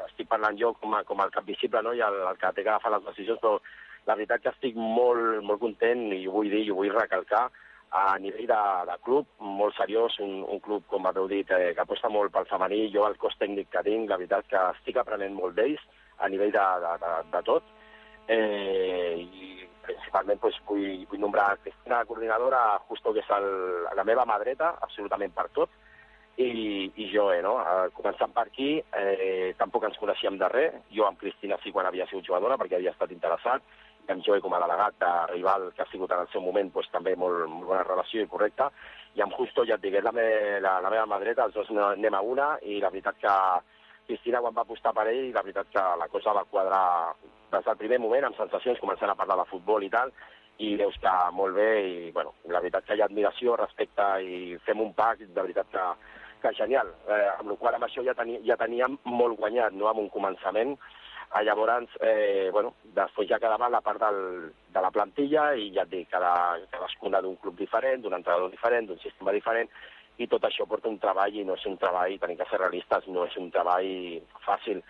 estic parlant jo com el cap visible, no?, i el que té que agafar les decisions, però la veritat que estic molt, molt content i ho vull dir i ho vull recalcar a nivell de club, molt seriós, un club, com haveu dit, que aposta molt pel femení. Jo, el cos tècnic que tinc, la veritat que estic aprenent molt d'ells a nivell de tot. I principalment vull nombrar Cristina, coordinadora, justo que és la meva mà dreta, absolutament per tot, i jo, no? Començant per aquí, tampoc ens coneixíem de res. Jo amb Cristina sí quan havia sigut jugadora, perquè havia estat interessat, i amb Joe com a delegat de rival, que ha sigut en el seu moment també molt bona relació i correcta, i amb Justo, ja et dic, és la meva mà dreta, els dos anem a una, i la veritat que Cristina, quan va apostar per ell, la veritat que la cosa va quadrar des del primer moment, amb sensacions, començant a parlar de futbol i tal, i deu estar molt bé, i bueno, la veritat que hi ha admiració, respecte, i fem un pack, de veritat que genial. Amb la qual cosa amb això ja teníem molt guanyat, no?, amb un començament. Llavors, bueno, després ja quedava la part de la plantilla, i ja et dic, cadascuna d'un club diferent, d'un entrenador diferent, d'un sistema diferent, i tot això porta un treball, i no és un treball, tenim que ser realistes, no és un treball fàcil.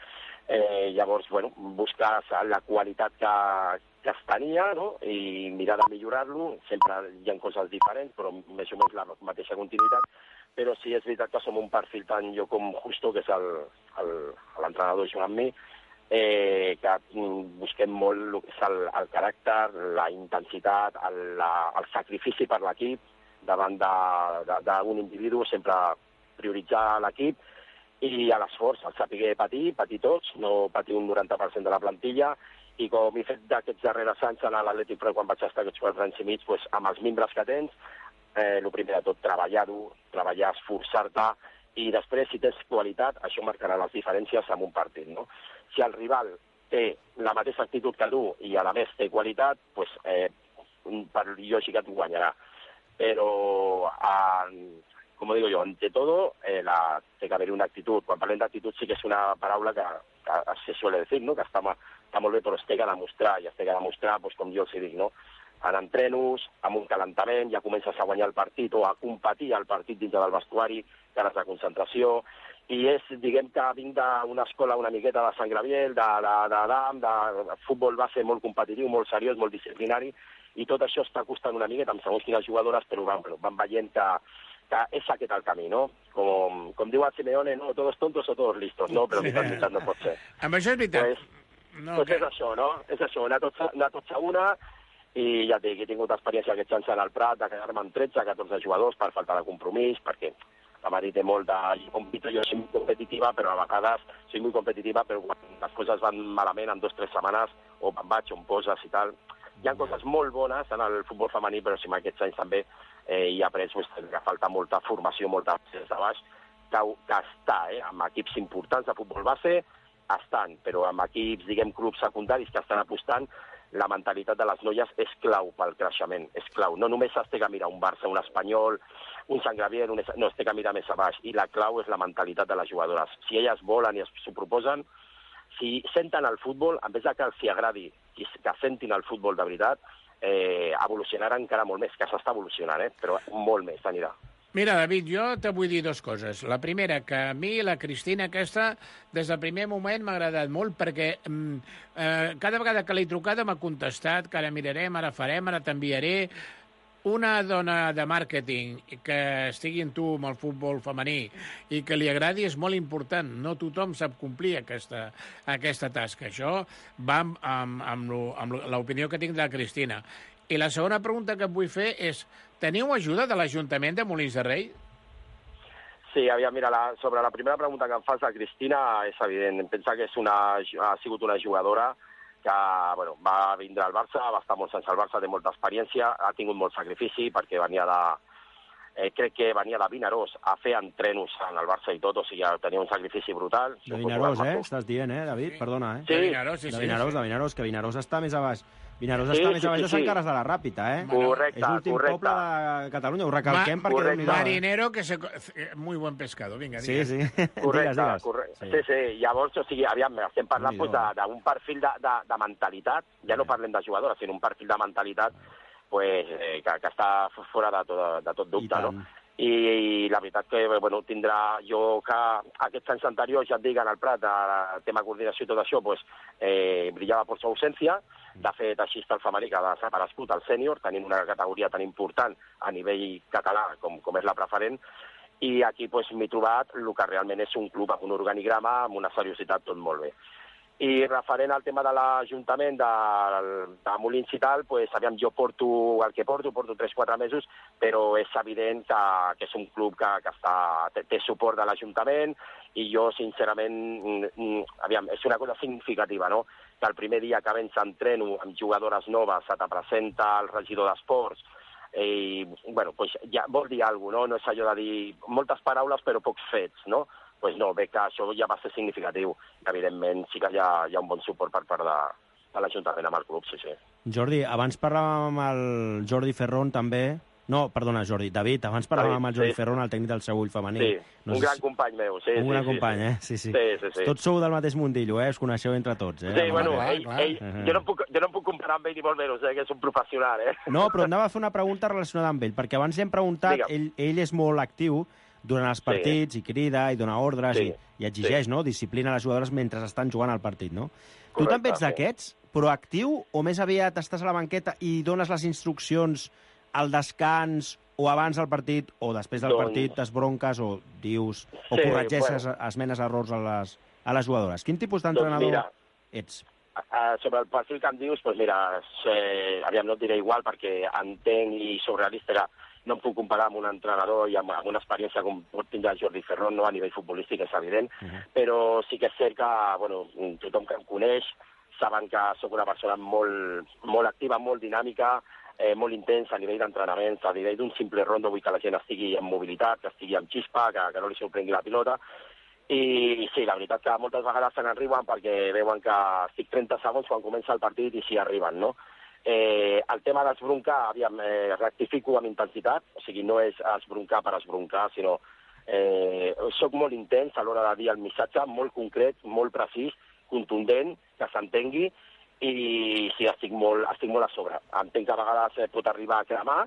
Llavors, bueno, buscar la qualitat que es tenia, no?, i mirar de millorar-lo. Sempre hi ha coses diferents, però més o menys la mateixa continuïtat. Però sí, és veritat que som un perfil tant jo com Justo, que és l'entrenador junt amb mi, que busquem molt el que és el caràcter, la intensitat, el sacrifici per l'equip davant d'un individu, sempre prioritzar l'equip, i a l'esforç, el saber patir tots, no patir un 90% de la plantilla, i com he fet d'aquests darrers anys a l'Atlètic Pro, quan vaig estar aquests 4 anys i mig, amb els membres que tens, el primer de tot, treballar-ho, esforçar-te, i després, si tens qualitat, això marcarà les diferències en un partit, no? Si el rival té la mateixa actitud que tu i a la més té qualitat, doncs per lògica tu guanyarà. Però, como digo yo, ante todo, té que haver una actitud. Quan parlem d'actitud sí que és una paraula que se suele decir, no?, que està molt bé, però es té que demostrar, i es té que demostrar, doncs, com jo els dic, no?, en entrenos, amb un calentament, ja comences a guanyar el partit o a competir el partit dins del vestuari, cares de concentració, i és, diguem que vinc d'una escola una miqueta de Sant Gabriel, de futbol base molt competitiu, molt seriós, molt disciplinari, i tot això està costant una miqueta amb segons quines jugadores, però van veient que és aquest el camí, no? Com diu el Simeone, no, todos tontos o todos listos, no? Però veritat no pot ser. Amb això és veritat. Doncs és això, no? És això, anar tots a una, i ja et dic, he tingut experiència aquests anys en el Prat de quedar-me amb 13-14 jugadors per falta de compromís, perquè la Mari té molt de... Jo soy muy competitiva, però a vegades però quan les coses van malament en 2 o 3 setmanes, o me'n vaig, o em poses i tal. Hi ha coses molt bones en el futbol femení, però si en aquests anys també hi ha après que falta molta formació, molta des de baix, que està, amb equips importants de futbol base, estan, però amb equips, diguem, clubs secundaris que estan apostant, la mentalitat de les noies és clau pel creixement, és clau. No només es té que mirar un Barça, un Espanyol, un Sant Gabriel, no, es té que mirar més a baix, i la clau és la mentalitat de les jugadores. Si elles volen i s'ho proposen, si senten el futbol, en vez que els agradi, que sentin el futbol de veritat, evolucionarà encara molt més, que s'està evolucionant, però molt més anirà. Mira, David, jo te vull dir 2 coses. La primera, que a mi la Cristina aquesta, des del primer moment m'ha agradat molt, perquè cada vegada que l'he trucada m'ha contestat, que ara mirarem, ara farem, ara t'enviaré. Una dona de màrqueting que estigui en tu amb el futbol femení i que li agradi és molt important. No tothom sap complir aquesta tasca. Això va amb l'opinió que tinc de la Cristina. I la segona pregunta que et vull fer és: teniu ajuda de l'Ajuntament de Molins de Rei? Sí, aviam, mira, sobre la primera pregunta que em fas, la Cristina, és evident. Em pensa que ha sigut una jugadora que va vindre al Barça, va estar molts anys al Barça, té molta experiència, ha tingut molt sacrifici perquè crec que venia de Vinaròs a fer entrenos en el Barça i tot, o sigui, tenia un sacrifici brutal. De Vinaròs, estàs dient, David? Perdona, Sí, de Vinaròs, sí. De Vinaròs, que Vinaròs està més a baix. Vinaròs està més a baix de Sant Carles de la Ràpita, Correcte, és l'últim poble de Catalunya, ho recalquem perquè... Marinero, que muy buen pescado, vinga, digues. Sí. Correcte. Sí. Llavors, o sigui, aviam, estem parlant d'un perfil de mentalitat, ja no parlem de jugadora, sinó un perfil de mentalitat que està fora de tot dubte, no? I la veritat que tindrà jo que aquests anys anteriors, ja et dic, en el Prat, de tema coordinació i tot això, brillava per su ausència. De fet, així està el femení, que ha desaparegut el sènior, tenint una categoria tan important a nivell català com és la preferent, i aquí m'he trobat el que realment és un club amb un organigrama, amb una seriositat, tot molt bé. I referent al tema de l'Ajuntament de Molins i tal, aviam, jo porto el que porto 3-4 mesos, però és evident que és un club que té suport de l'Ajuntament, i jo, sincerament, aviam, és una cosa significativa, no?, que el primer dia que vens entreno amb jugadores noves se te presenta el regidor d'Esports, i, ja vol dir alguna cosa, no? No és allò de dir moltes paraules però pocs fets, no? No, veig que això ja va ser significatiu. Evidentment, sí que hi ha un bon suport per part l'Ajuntament amb el club, sí. Jordi, abans parlàvem amb el Jordi Ferrón també. No, perdona, Jordi, David, abans parlàvem amb el Jordi Ferrón, el tècnic del Seu Ull femení. Sí, un gran company meu, sí. Un gran company, eh? Sí. Tots sou del mateix mundillo, us coneixeu entre tots, eh? Sí, bueno, jo no em puc comparar amb ell ni molt menys, que és un professional, eh? No, però anava a fer una pregunta relacionada amb ell, perquè abans li hem preguntat, ell és molt actiu durant els partits i crida i dona ordres i exigeix, no?, disciplina a les jugadores mentre estan jugant al partit, no? Tu també ets d'aquests, proactiu, o més aviat estàs a la banqueta i dones les instruccions al descans o abans del partit o després del partit t'esbronques o dius o corregeixes, esmenes errors a les jugadores? Quin tipus d'entrenador ets? Sobre el perfil que em dius, doncs mira, aviam, no et diré igual perquè entenc i sóc realista que no em puc comparar amb un entrenador i amb una experiència com pot tindre Jordi Ferrón, no, a nivell futbolístic, és evident, però sí que és cert que, bueno, tothom que em coneix saben que sóc una persona molt activa, molt dinàmica, molt intens a nivell d'entrenaments, a nivell d'un simple rondo, vull que la gent estigui en mobilitat, que estigui amb xispa, que no li sorprengui la pilota. I sí, la veritat que moltes vegades se n'arriben perquè veuen que estic 30 segons quan comença el partit i s'hi arriben, no? El tema d'esbroncar, aviam, rectifico amb intensitat, o sigui, no és esbroncar per esbroncar, sinó soc molt intens a l'hora de dir el missatge, molt concret, molt precís, contundent, que s'entengui, i sí, estic molt a sobre. Entenc que a vegades pot arribar a cremar,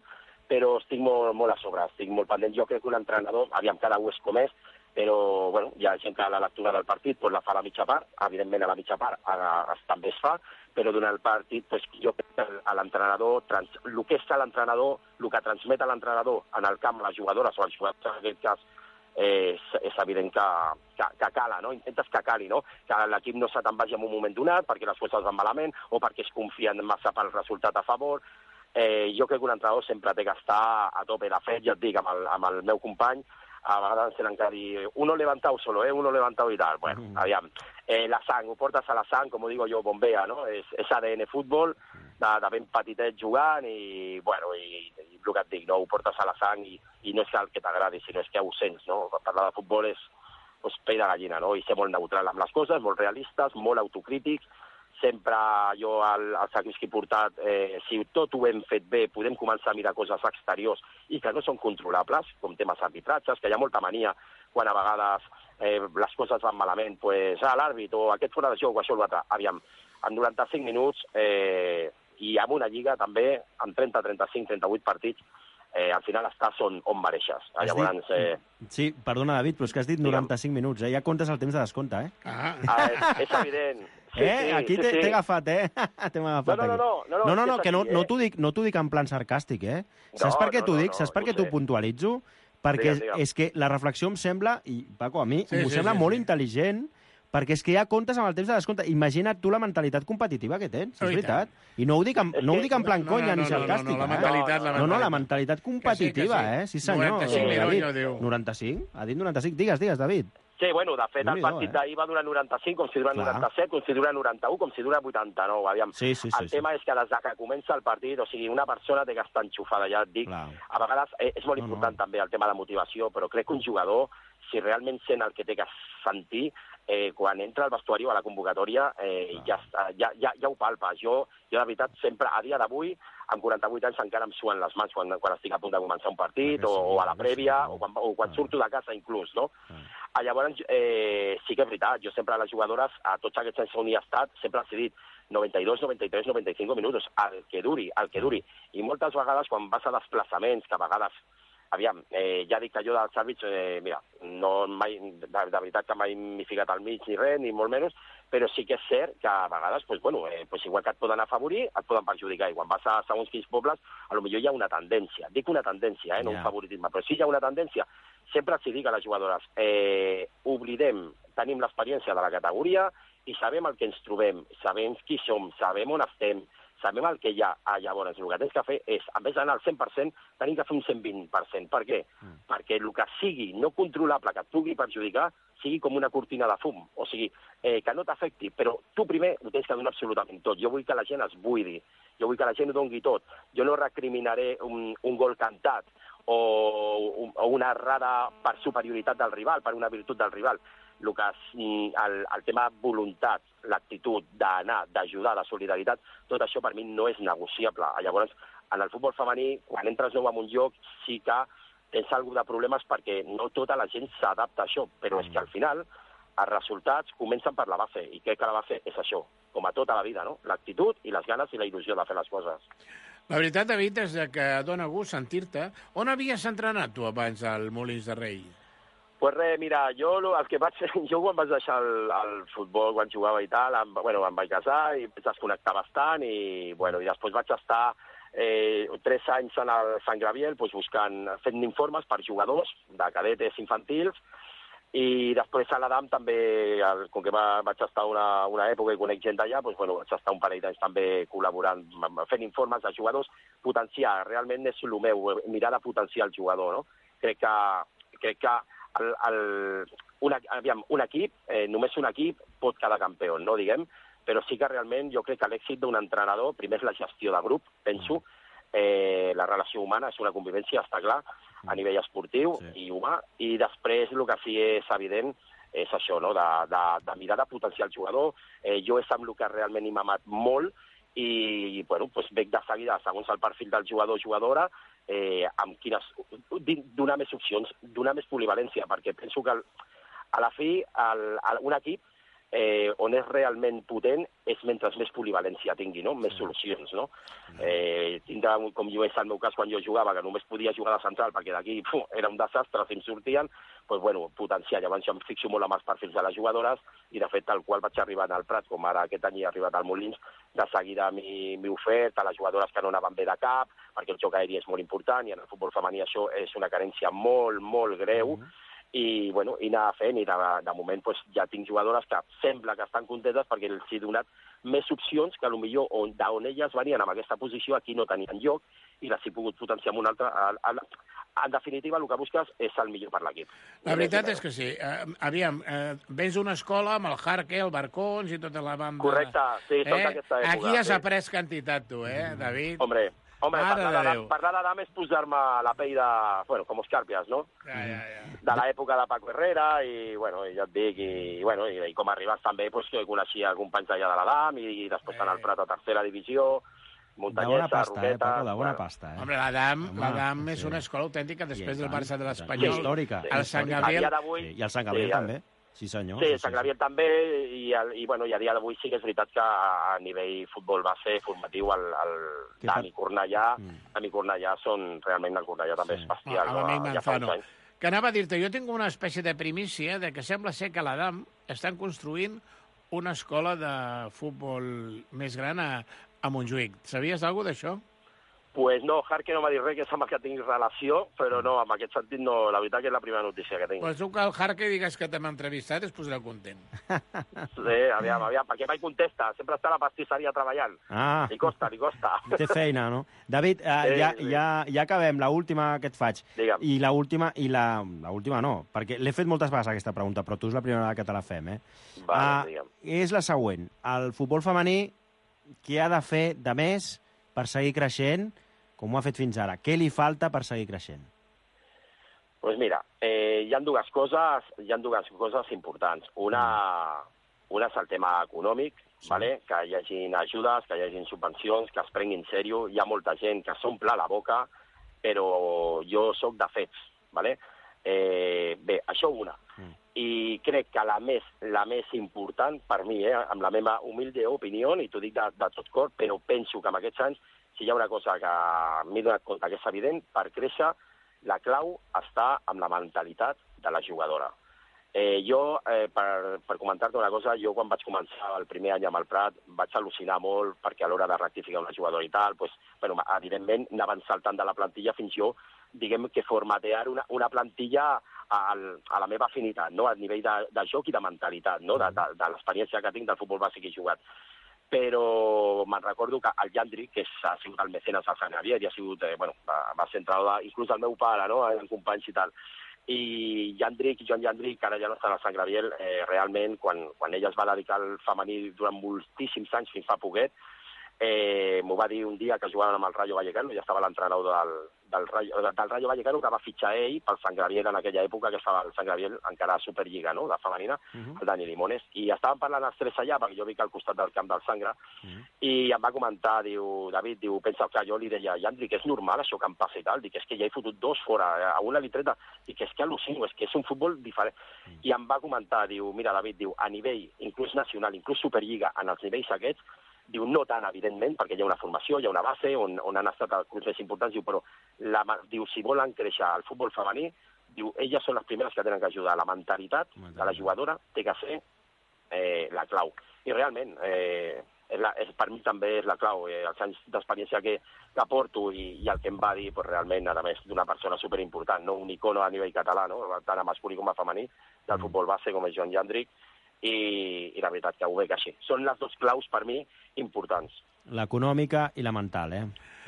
però estic molt a sobre, estic molt pendent. Jo crec que un entrenador, aviam, cada un és com és, però bueno, hi ha gent que la lectura del partit la fa a la mitja part, evidentment a la mitja part també es fa, però durant el partit jo crec que l'entrenador, el que és l'entrenador, el que transmet a l'entrenador en el camp, les jugadores o els jugadors en aquest cas, és evident que cala, no? Intentes que cali, no? Que l'equip no se te'n vagi en un moment donat perquè les coses van malament o perquè es confien massa pel resultat a favor. Jo crec que un entrenador sempre té que estar a tope. De fet, ja et dic, amb el meu company, a vegades tenen que dir uno levantado solo, uno levantado i tal. Bueno, aviam, la sang, ho portes a la sang, com digo jo, bombea, no? És ADN futbol, de ben petitet jugant i, bueno, i el que et dic, no? Ho portes a la sang i no és el que t'agradi, sinó és que ho sents, no? Parlar de futbol és pell de gallina, no? I ser molt neutral amb les coses, molt realistes, molt autocrítics. Sempre jo, als equips que he portat, si tot ho hem fet bé, podem començar a mirar coses exteriors i que no són controlables, com temes arbitratges, que hi ha molta mania quan a vegades les coses van malament, l'àrbit o aquest fora de joc o això o l'altre. Aviam, en 95 minuts i amb una lliga també, amb 30, 35, 38 partits, al final estàs on mereixes. Llavors, sí, perdona, David, però és que has dit 95 minuts, ja comptes el temps de descompte, és evident. Aquí t'he agafat, T'hem agafat aquí. No, que no t'ho dic en plan sarcàstic, Saps per què t'ho dic? Saps per què t'ho puntualitzo? Perquè és que la reflexió em sembla, i Paco, a mi, m'ho sembla molt intel·ligent, perquè és que ja comptes amb el temps de descompte. Imagina't tu la mentalitat competitiva que tens, és veritat. I no ho dic en plan conya ni sarcàstic. No, la mentalitat competitiva, Sí, senyor. 95? Ha dit 95? Digues, David. Sí, bueno, de fet, el partit d'ahir va durar 95, com si dura 97, com si dura 91, com si dura 89, aviam. El tema és que des que comença el partit, o sigui, una persona té que estar enxufada, ja et dic. A vegades és molt important també el tema de motivació, però crec que un jugador, si realment sent el que té que sentir, quan entra al vestuari o a la convocatòria ja ho palpa. Jo de veritat sempre, a dia d'avui, amb 48 anys encara em suen les mans quan estic a punt de començar un partit o a la prèvia o quan surto de casa inclús, no? Llavors sí que és veritat, jo sempre a les jugadores, a tots aquests anys on hi he estat, sempre els he dit 92, 93, 95 minuts, el que duri. I moltes vegades quan vas a desplaçaments, que a vegades aviam, ja dic que jo dels àrbits, mira, de veritat que mai m'he ficat al mig ni res, ni molt menys, però sí que és cert que a vegades, igual que et poden afavorir, et poden perjudicar. I quan vas a segons quins pobles, potser hi ha una tendència. Dic una tendència, no un favoritisme, però sí hi ha una tendència. Sempre els dic a les jugadores, tenim l'experiència de la categoria i sabem el que ens trobem, sabem qui som, sabem on estem, sabem el que hi ha. Llavors, el que tens que fer és, en vez d'anar al 100%, tenim que fer un 120%. Per què? Perquè el que sigui no controlable, que et pugui perjudicar, sigui com una cortina de fum. O sigui, que no t'afecti, però tu primer ho tens que donar absolutament tot. Jo vull que la gent es buidi, jo vull que la gent ho doni tot. Jo no recriminaré un gol cantat o una errada per superioritat del rival, per una virtut del rival. El tema voluntat, l'actitud d'anar, d'ajudar, de solidaritat, tot això per mi no és negociable. Llavors, en el futbol femení, quan entres nou en un lloc, sí que tens alguna de problemes perquè no tota la gent s'adapta a això, però és que al final els resultats comencen per la base, i crec que la base és això, com a tota la vida, no? L'actitud i les ganes i la il·lusió de fer les coses. La veritat, David, és que dona gust sentir-te. On havies entrenat tu abans al Molins de Rei? Pues res, mira, jo quan vaig deixar el futbol, quan jugava i tal, em vaig casar i vaig desconnectar bastant i després vaig estar 3 anys en el Sant Gabriel fent informes per jugadors de cadetes infantils i després a l'Adam també, com que vaig estar una època i conec gent d'allà, vaig estar un parell d'anys també col·laborant, fent informes de jugadors, potenciar, realment és el meu, mirar de potenciar el jugador, no? Crec que un equip, només un equip pot quedar campió, no diguem, però sí que realment jo crec que l'èxit d'un entrenador, primer és la gestió de grup, penso, la relació humana és una convivència, està clar, a nivell esportiu i humà, i després el que sí és evident és això, no? de mirar de potenciar el jugador. Jo és amb el que realment m'ha amat molt i veig de seguida, segons el perfil del jugador o jugadora, amb quines... donar més opcions, donar més polivalència, perquè penso que a la fi un equip on és realment potent és mentre més polivalència tingui, no? Més solucions, no? Tindrà, com jo és el meu cas quan jo jugava, que només podia jugar de central perquè d'aquí era un desastre si em sortien, potenciar. Llavors jo em fixo molt amb els perfils de les jugadores i de fet tal qual vaig arribar al Prat, com ara aquest any he arribat al Molins, de seguida m'he ofert a les jugadores que no anaven bé de cap, perquè el joc aeri és molt important i en el futbol femení això és una carència molt, molt greu, i anar fent, i de moment ja tinc jugadores que sembla que estan contentes perquè els he donat més opcions que potser d'on elles venien en aquesta posició aquí no tenien lloc i les he pogut potenciar amb una altra. En definitiva, el que busques és el millor per l'equip. La veritat és que sí. Aviam, vens d'una escola amb el Jarque, el Barcons i tota la banda... Correcte, sí, tota aquesta època. Aquí has après quantitat, tu, David? Hombre, parlar d'Adam és posar-me la pell de... com Escàrpies, no? De l'època de Paco Herrera, i ja et dic, i com arribes també, que coneixia companys d'allà de l'Adam, i després en el Prat a tercera divisió, Muntanyesa, Roqueta... Paco, de bona pasta, Home, l'Adam és una escola autèntica després del Barça de l'Espanyol. Històrica. El Sant Gabriel... I el Sant Gabriel també. Sí, senyor. Sí, Sant Gabriel també, i a dia d'avui sí que és veritat que a nivell futbol base formatiu el Dami Cornellà són realment el Cornellà també és bestial. L'amic Manzano. Que anava a dir-te, jo tinc una espècie de primícia de que sembla ser que a l'Adam estan construint una escola de futbol més gran a Montjuïc. Sabies alguna cosa d'això? Pues no, Jarque no m'ha dit res, que sembla que tinc relació, però no, en aquest sentit no, la veritat que és la primera notícia que tinc. Pues tu que el Jarque digues que t'hem entrevistat es posarà content. Sí, aviam, perquè mai contesta, sempre està a la pastisseria treballant. Li costa. Té feina, no? David, ja acabem, l'última que et faig. Digue'm. I l'última no, perquè l'he fet moltes vegades aquesta pregunta, però tu és la primera vegada que te la fem, Vale, és la següent. El futbol femení, què ha de fer de més per seguir creixent, com ho ha fet fins ara? Què li falta per seguir creixent? Doncs mira, hi ha dues coses importants. Una és el tema econòmic, vale? Que hi hagin ajudes, que hi hagin subvencions, que es prenguin en sèrio. Hi ha molta gent que s'omple la boca, però jo sóc de fets. Vale? Bé, això una. I crec que la més important per mi, amb la meva humilde opinió, i t'ho dic de tot cor, però penso que en aquests anys, si hi ha una cosa que m'he donat compte que és evident, per créixer, la clau està amb la mentalitat de la jugadora. Per comentar-te una cosa, jo quan vaig començar el primer any amb el Prat vaig al·lucinar molt perquè a l'hora de rectificar una jugadora i tal, evidentment anaven saltant de la plantilla fins jo, diguem que formatear una plantilla a la meva afinitat, no? A nivell de joc i de mentalitat, no? De l'experiència que tinc del futbol bàsic que he jugat. Però me'n recordo que el Jandri, que ha sigut el mecenes del Sant Javier, i ha sigut, va ser entrenador inclús del meu pare, no? En companys i tal. I Joan Jandric, que ara ja no està al Sant Gabriel, realment, quan ella es va dedicar al femení durant moltíssims anys, fins fa poquet, m'ho va dir un dia que jugaven amb el Rayo Vallecano, ja estava l'entrenador del Rayo Vallecano, que va fitxar ell pel Sant Gabriel en aquella època, que estava el Sant Gabriel encara a Superliga, no?, de femenina, el Dani Limones, i estàvem parlant els tres allà, perquè jo vic al costat del camp del Sangre, i em va comentar, diu, David, pensa que jo li deia, Jandri, que és normal això que em passa i tal, dic, és que ja he fotut dos fora, a una li treta, dic, és que al·lucino, és que és un futbol diferent. I em va comentar, diu, mira, David, diu, a nivell, inclús nacional, inclús Superliga, en els nivells aquests, diu, no tant, evidentment, perquè hi ha una formació, hi ha una base on han estat els clubs més importants, diu, però diu, si volen créixer el futbol femení, diu, elles són les primeres que tenen que ajudar. La mentalitat de la jugadora té que ser la clau. I realment, per mi també és la clau. Els anys d'experiència que porto i el que em va dir, realment, a més, d'una persona superimportant, no? Un icono a nivell català, no? Tant a masculí com a femení, del futbol base, com és Joan Jandric, i la veritat que ho veig així. Són les dues claus, per mi, importants. L'econòmica i la mental,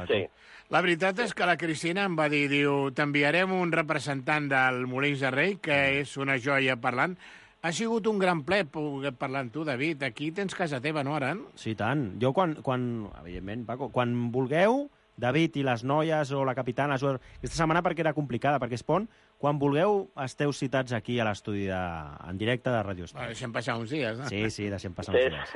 Sí. La veritat és que la Cristina em va dir, diu, t'enviarem un representant del Molins de Rei, que és una joia parlant. Ha sigut un gran ple poder parlar amb tu, David. Aquí tens casa teva, no, ara? Sí, tant. Jo, evidentment, Paco, quan vulgueu, David i les noies o la capitana, aquesta setmana perquè era complicada, perquè es pon, quan vulgueu esteu citats aquí a l'estudi en directe de Ràdio Estel. Deixem passar uns dies, no? Sí, deixem passar uns dies.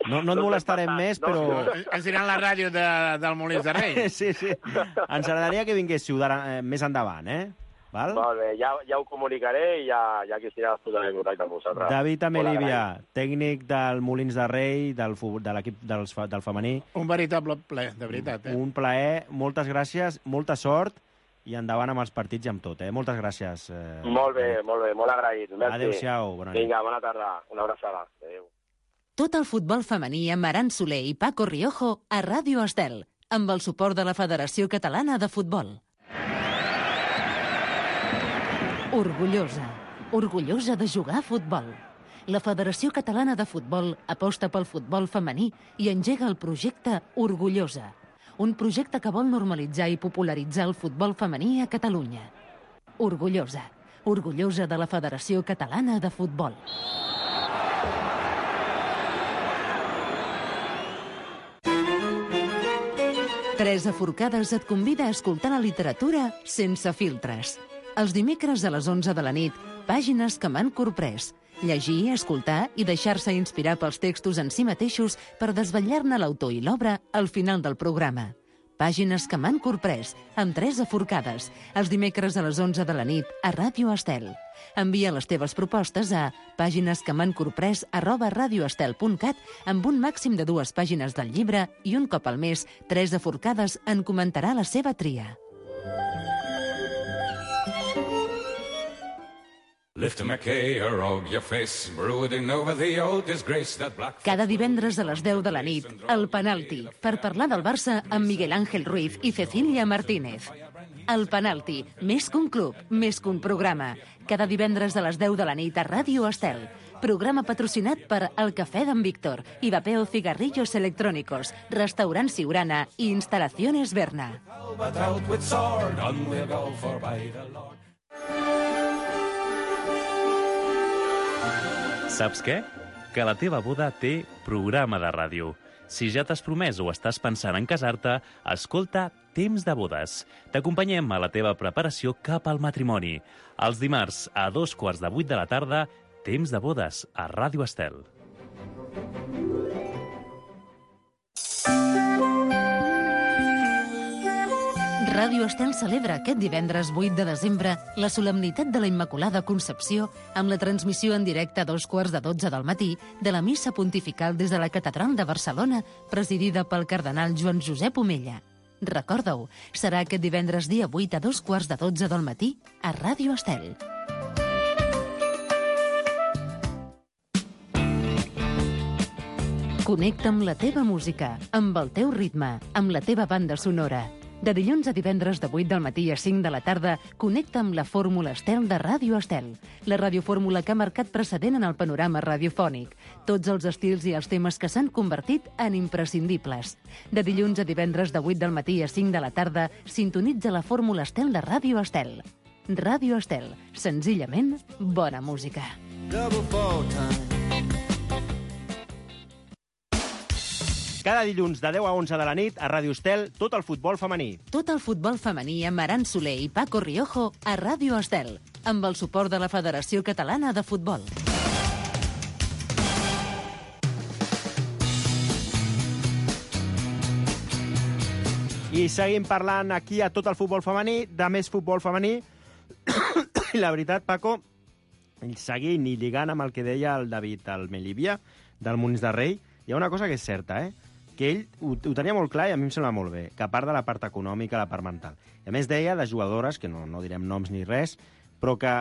No et molestarem més, però... Ens diran la ràdio del Molins de Rei. Sí. Ens agradaria que vinguéssiu més endavant, Val? Molt bé, ja ho comunicaré i ja Cristina es posarà en contacte amb vosaltres. David Amelívia, tècnic del Molins de Rei, de l'equip del femení. Un veritable ple, de veritat. Un plaer, moltes gràcies, molta sort i endavant amb els partits i amb tot. Moltes gràcies. Molt bé, molt agraït. Adéu-siau, bona nit. Vinga, bona tarda, una abraçada. Adéu. Tot el futbol femení amb Aran Soler i Paco Riojo a Ràdio Estel, amb el suport de la Federació Catalana de Futbol. Orgullosa de jugar a futbol. La Federació Catalana de Futbol aposta pel futbol femení i engega el projecte Orgullosa, un projecte que vol normalitzar i popularitzar el futbol femení a Catalunya. Orgullosa de la Federació Catalana de Futbol. Teresa Forcades et convida a escoltar la literatura sense filtres. Els dimecres a les 11 de la nit, pàgines que m'han corprès. Llegir, escoltar i deixar-se inspirar pels textos en si mateixos per desvetllar-ne l'autor i l'obra al final del programa. Pàgines que m'han corprès, amb Teresa Forcades, els dimecres a les 11 de la nit a Ràdio Estel. Envia les teves propostes a paginesquemancorprès@radioestel.cat amb un màxim de 2 pàgines del llibre i un cop al mes, Teresa Forcades en comentarà la seva tria. Cada divendres a les 10 de la nit, El Penalti, per parlar del Barça amb Miguel Ángel Ruiz i Cecilia Martínez. El Penalti, més que un club, més que un programa. Cada divendres a les 10 de la nit a Ràdio Estel. Programa patrocinat per El Cafè d'en Víctor i Vapeo Cigarrillos Electrónicos, Restaurant Siurana i Instalaciones Berna. Saps què? Que la teva boda té programa de ràdio. Si ja t'has promès o estàs pensant en casar-te, escolta Temps de Bodes. T'acompanyem a la teva preparació cap al matrimoni. Els dimarts a 7:45 de la tarda, Temps de Bodes a Ràdio Estel. Ràdio Estel celebra aquest divendres 8 de desembre la solemnitat de la Immaculada Concepció amb la transmissió en directe a 2:15 del matí de la missa pontifical des de la Catedral de Barcelona, presidida pel cardenal Joan Josep Omella. Recorda-ho, serà aquest divendres dia 8 a 2:15 del matí a Ràdio Estel. Connecta amb la teva música, amb el teu ritme, amb la teva banda sonora. De dilluns a divendres de 8 del matí a 5 de la tarda, connecta amb la Fórmula Estel de Ràdio Estel, la radiofórmula que ha marcat precedent en el panorama radiofònic. Tots els estils i els temes que s'han convertit en imprescindibles. De dilluns a divendres de 8 del matí a 5 de la tarda, sintonitza la Fórmula Estel de Ràdio Estel. Ràdio Estel, senzillament bona música. Cada dilluns de 10 a 11 de la nit a Ràdio Estel, tot el futbol femení. Tot el futbol femení amb Aran Soler i Paco Riojo a Ràdio Estel, amb el suport de la Federació Catalana de Futbol. I seguim parlant aquí a tot el futbol femení, de més futbol femení. I la veritat, Paco, seguint i lligant amb el que deia el David Almelivia, del Molins de Rei, hi ha una cosa que és certa, que ell ho tenia molt clar i a mi em sembla molt bé, que a part de la part econòmica, la part mental. I a més deia de jugadores, que no direm noms ni res, però que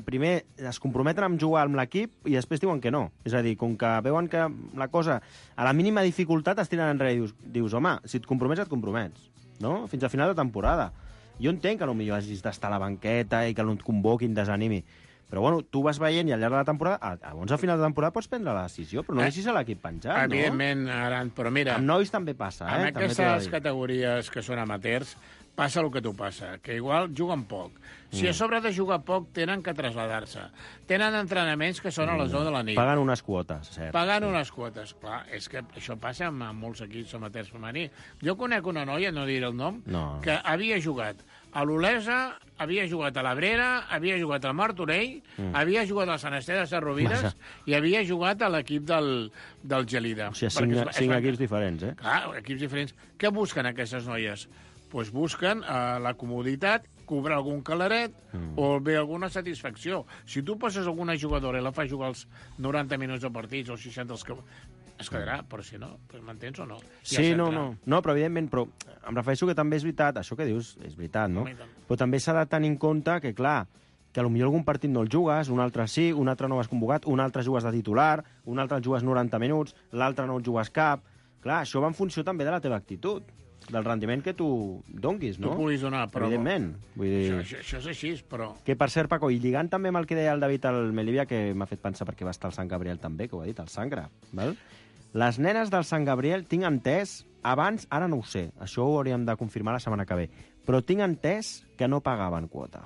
primer es comprometen a jugar amb l'equip i després diuen que no. És a dir, com que veuen que la cosa, a la mínima dificultat es tiren enrere i dius, home, si et compromets, et compromets, no? Fins al final de temporada. Jo entenc que potser hagis d'estar a la banqueta i que no et convoquin, desanimi. Però bueno, tu vas veient i al llarg de la temporada, llavors al final de temporada pots prendre la decisió, però no deixis a l'equip penjat, no? Evidentment, Aran, però mira... Amb nois també passa, en aquestes categories que són amateurs, passa el que tu passa, que igual juguen poc. Si a sobre de jugar poc, tenen que traslladar-se. Tenen entrenaments que són a les 9 de la nit. Paguen unes quotes, cert. Paguen unes quotes, clar. És que això passa amb molts equips amateurs femení. Jo conec una noia, no diré el nom, que havia jugat a l'Olesa, havia jugat a l'Abrera, havia jugat al Martorell, havia jugat al Sant Esteve de Sarrovires i havia jugat a l'equip del Gelida. O sigui, 5 equips diferents, Clar, equips diferents. Què busquen aquestes noies? Doncs busquen la comoditat, cobrar algun calaret o bé alguna satisfacció. Si tu passes alguna jugadora i la fas jugar els 90 minuts de partits o 60 els que... es quedarà, però si no, m'entens o no? Sí, no, però evidentment, però em refereixo que també és veritat, això que dius és veritat, no? Però també s'ha de tenir en compte que, clar, que potser algun partit no el jugues, un altre sí, un altre no vas convocat, un altre jugues de titular, un altre el jugues 90 minuts, l'altre no el jugues cap. Clar, això va en funció també de la teva actitud, del rendiment que tu donguis, no? Tu puguis donar, però... Evidentment. Vull dir... Això és així, però... Que, per cert, Paco, i lligant també amb el que deia el David Almelivia, que m'ha fet pensar perquè va estar al Sant Gabriel també, que ho ha dit, al Sangre, val? Les nenes del Sant Gabriel, tinc entès, abans, ara no ho sé, això ho hauríem de confirmar la setmana que ve, però tinc entès que no pagaven quota.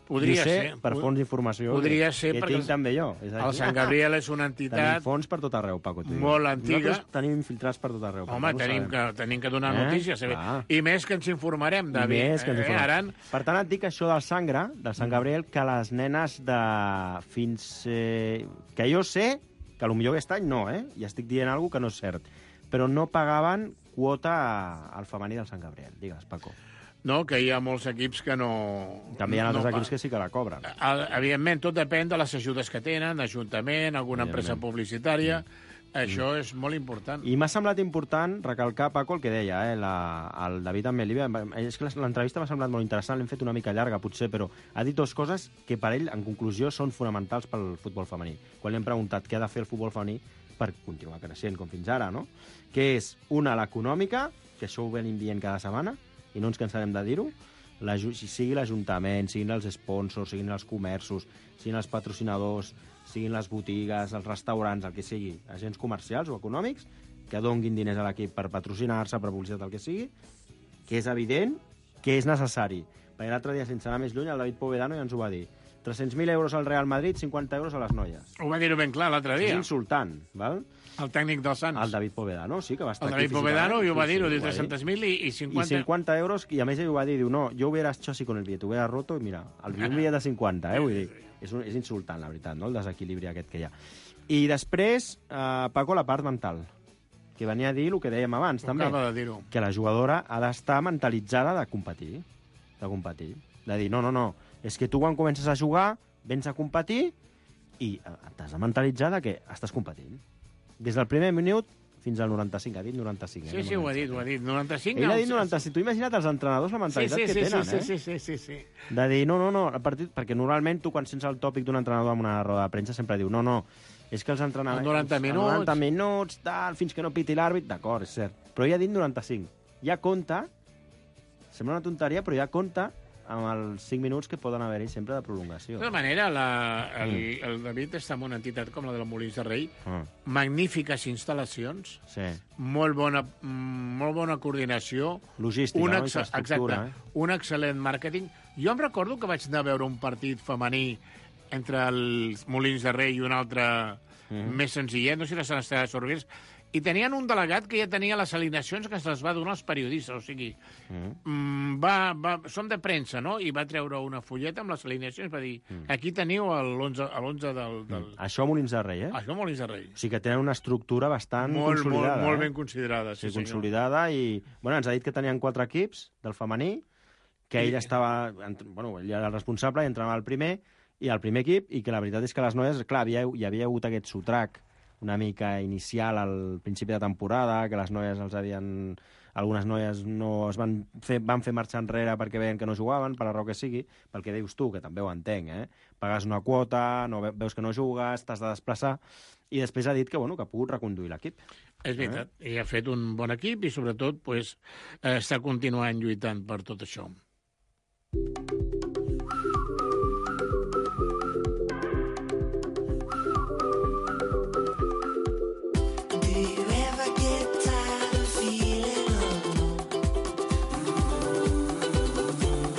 Podria ser. Per fons d'informació podria ser, que tinc també jo. El Sant Gabriel és una entitat... Tenim fons per tot arreu, Paco. Molt antiga. Nosaltres tenim infiltrats per tot arreu. Home, tenim que donar notícies. I més que ens informarem, David. Més que ens informarem. Per tant, et dic això del Sangre, del Sant Gabriel, que les nenes de fins... que jo sé, que potser aquest any no, i estic dient alguna cosa que no és cert, però no pagaven quota al femení del Sant Gabriel. Digues, Paco. No, que hi ha molts equips que no... També hi ha altres equips que sí que la cobren. Evidentment, tot depèn de les ajudes que tenen, Ajuntament, alguna empresa publicitària. Això és molt important. I m'ha semblat important recalcar, Paco, el que deia el David Almelivia. És que l'entrevista m'ha semblat molt interessant, l'hem fet una mica llarga, potser, però ha dit dues coses que per ell, en conclusió, són fonamentals pel futbol femení. Quan li hem preguntat què ha de fer el futbol femení per continuar creixent com fins ara, no? Que és, una, l'econòmica, que això ho venim dient cada setmana, i no ens cansarem de dir-ho, sigui l'Ajuntament, siguin els sponsors, siguin els comerços, siguin els patrocinadors, siguin les botigues, els restaurants, el que sigui, agents comercials o econòmics, que donguin diners a l'equip per patrocinar-se, per publicitat, el que sigui, que és evident que és necessari. Perquè l'altre dia, sense anar més lluny, el David Povedano ja ens ho va dir. 300.000 euros al Real Madrid, 50 euros a les noies. Ho va dir-ho ben clar l'altre dia. És insultant, val? El tècnic del Sants. El David Povedano, sí, que va estar aquí. El David Povedano ho va dir, ho diu 300.000 i 50... I 50 euros, i a més ell ho va dir, diu, no, yo hubiera hecho así con el billete, hubiera roto, i mira, un bitllet de 50, vull dir, és insultant, la veritat, no?, el desequilibri aquest que hi ha. I després, Paco, la part mental, que venia a dir el que dèiem abans, també, que la jugadora ha d'estar mentalitzada de competir, de dir, no, és que tu quan comences a jugar, vens a competir i t'has de mentalitzar que estàs competint. Des del primer minut fins al 95. Ha dit 95. Sí, ho ha dit. 95. Ell ha dit 95. Tu imagina't els entrenadors la mentalitat que tenen, Sí. De dir, no, el partit... Perquè normalment tu, quan sents el tòpic d'un entrenador en una roda de premsa, sempre diu, no, és que els entrenadors... 90 minuts, tal, fins que no piti l'àrbit, d'acord, és cert. Però ell ha dit 95. Ja compta, sembla una tonteria, però ja compta amb els 5 minuts que poden haver-hi sempre de prolongació. De tota manera, el David està en una entitat com la de la Molins de Rei, magnífiques instal·lacions, molt bona coordinació, logística, infraestructura. Exacte, un excel·lent màrqueting. Jo em recordo que vaig anar a veure un partit femení entre els Molins de Rei i un altre més senzillet, no sé si la Sant Esteve de Sorvers, I tenien un delegat que ja tenia les alineacions que se les va donar als periodistes, o sigui, són de premsa, no? I va treure una fulleta amb les alineacions, va dir, aquí teniu l'11 del... Això a Molins de Rei, eh? Això a Molins de Rei. O sigui que tenen una estructura bastant consolidada. Molt ben considerada, sí, senyor. Consolidada i... Bueno, ens ha dit que tenien 4 equips del femení, que ell estava... Bueno, ell era el responsable i entrenava el primer, i el primer equip, i que la veritat és que les noies, clar, hi havia hagut aquest sotrac una mica inicial al principi de temporada, que les noies algunes noies no van fer marxa enrere perquè veien que no jugaven, per la raó que sigui, pel que dius tu, que també ho entenc, pagues una quota, veus que no jugues, t'has de desplaçar, i després ha dit que ha pogut reconduir l'equip. És veritat, i ha fet un bon equip i sobretot està continuant lluitant per tot això.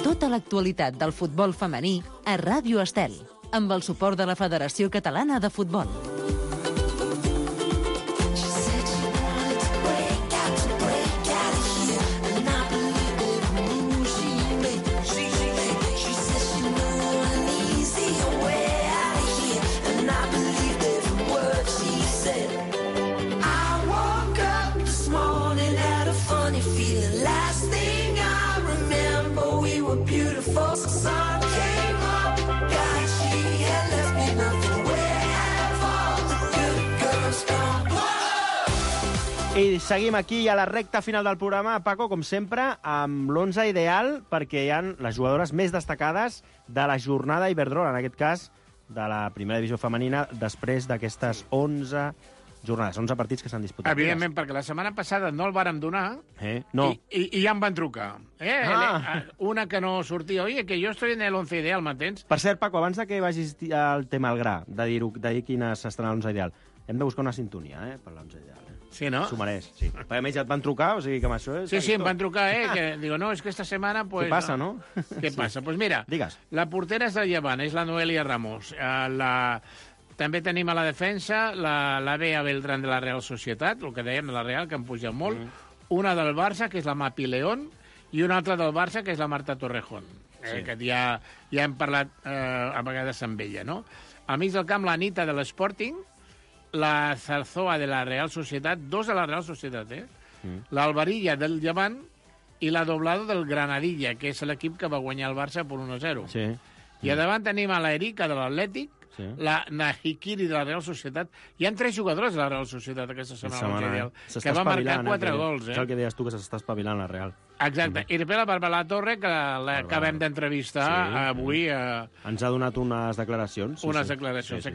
Tota l'actualitat del futbol femení a Ràdio Estel, amb el suport de la Federació Catalana de Futbol. I seguim aquí a la recta final del programa, Paco, com sempre, amb l'11 ideal, perquè hi ha les jugadores més destacades de la jornada Iberdrola, en aquest cas, de la primera divisió femenina, després d'aquestes 11 jornades, 11 partits que s'han disputat. Evidentment, perquè la setmana passada no el vàrem donar no. I ja em van trucar. Una que no sortia, oye, que jo estoy en el 11 ideal, m'entens? Per cert, Paco, abans de que vagis al tema al gra, de dir quines estan a l'11 ideal, hem de buscar una sintonia, per l'11 ideal. Sí, no? S'ho mereix, sí. Perquè a més ja et van trucar, o sigui que amb això és... Sí, em van trucar, que digo, no, és que esta setmana... Pues, què passa, no? Què passa? Pues mira, digues. La portera és del Llevant, és la Noelia Ramos. També tenim a la defensa la Bea Beltrán de la Real Societat, el que dèiem de la Real, que han pujat molt. Una del Barça, que és la Mapi León, i una altra del Barça, que és la Marta Torrejón, que ja hem parlat a vegades amb ella, no? Al mig del camp, la Anita de l'Sporting, la Zarzoa de la Real Societat, 2 de la Real Societat, l'Albarilla del Llevant i la Doblado del Granadilla, que és l'equip que va guanyar el Barça per 1-0. Sí. I a davant tenim a la Erika de l'Atlètic, la Nahikiri de la Real Societat. Hi ha 3 jugadors de la Real Societat aquesta setmana, que va marcar 4 gols. És el que deies tu, que s'està espavilant la Real. Exacte. I després la Barbara Torre, que l'acabem d'entrevistar avui. Ens ha donat unes declaracions. Unes declaracions.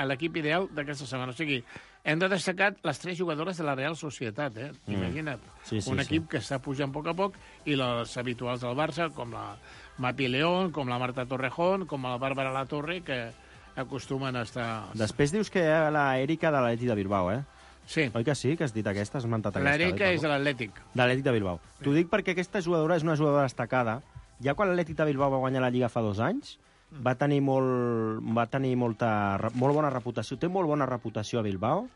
L'equip ideal d'aquesta setmana. O sigui, hem de destacar les 3 jugadores de la Real Societat. Imagina't. Un equip que està pujant a poc i les habituals del Barça, com la Mapi León, com la Marta Torrejón, com la Bàrbara La Torre, que acostumen a estar... Després dius que hi ha la Erika de l'Atlètic de Bilbao, Sí. Oi que sí, que has dit aquesta, has mentat aquesta? L'Erika és de l'Atlètic. De l'Atlètic de Bilbao. T'ho dic perquè aquesta jugadora és una jugadora destacada. Ja quan l'Atlètic de Bilbao va guanyar la Lliga fa 2 anys, va tenir molt bona reputació, té molt bona reputació a Bilbao,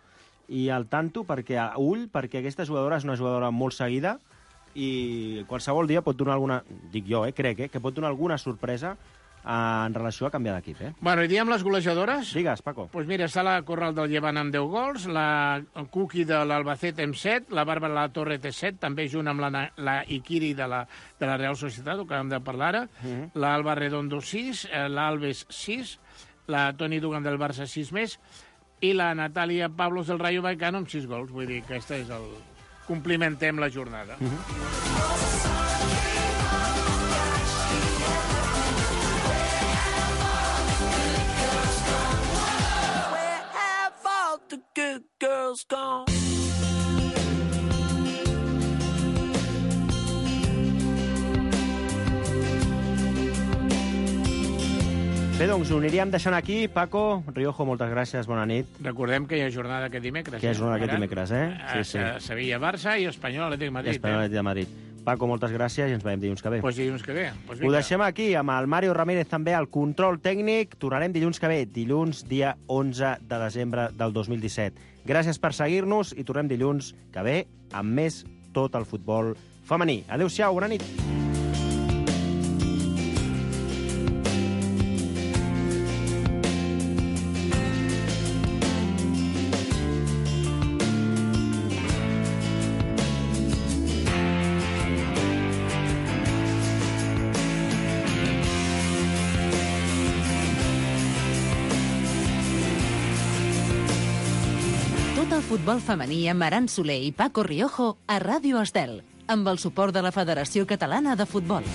i al tanto perquè aquesta jugadora és una jugadora molt seguida i qualsevol dia pot donar alguna... Dic jo, crec, que pot donar alguna sorpresa en relació a canviar d'equip, Bueno, i diem les golejadores? Digues, Paco. Doncs mira, està la Corral del Llevant amb 10 gols, la Cuqui de l'Albacete amb 7, la Bàrbara La Torre té 7, també junt amb la Ikiri de la Real Societat, el que hem de parlar ara, l'Alba Redondo 6, l'Alves 6, la Toni Dugan del Barça 6 més, i la Natàlia Pablos del Rayo Vallecano amb 6 gols. Vull dir que aquesta és el... Complimentem la jornada. Good girls gone. Bé, doncs ho aniríem deixant aquí. Paco, Riojo, moltes gràcies, bona nit. Recordem que hi ha jornada aquest dimecres. Que hi ha jornada aquest dimecres, Sí. Sevilla-Barça i Espanyol Atlètic de Madrid. Espanyol Atlètic de Madrid. Paco, moltes gràcies i ens veiem dilluns que ve. Pues dilluns que ve. Pues Ho deixem aquí, amb el Mario Ramírez també al control tècnic. Tornarem dilluns que ve, dilluns dia 11 de desembre del 2017. Gràcies per seguir-nos i tornem dilluns que ve amb més tot el futbol femení. Adéu-siau, bona nit. Futbol femení amb Aran Soler i Paco Riojo a Ràdio Estel, amb el suport de la Federació Catalana de Futbol.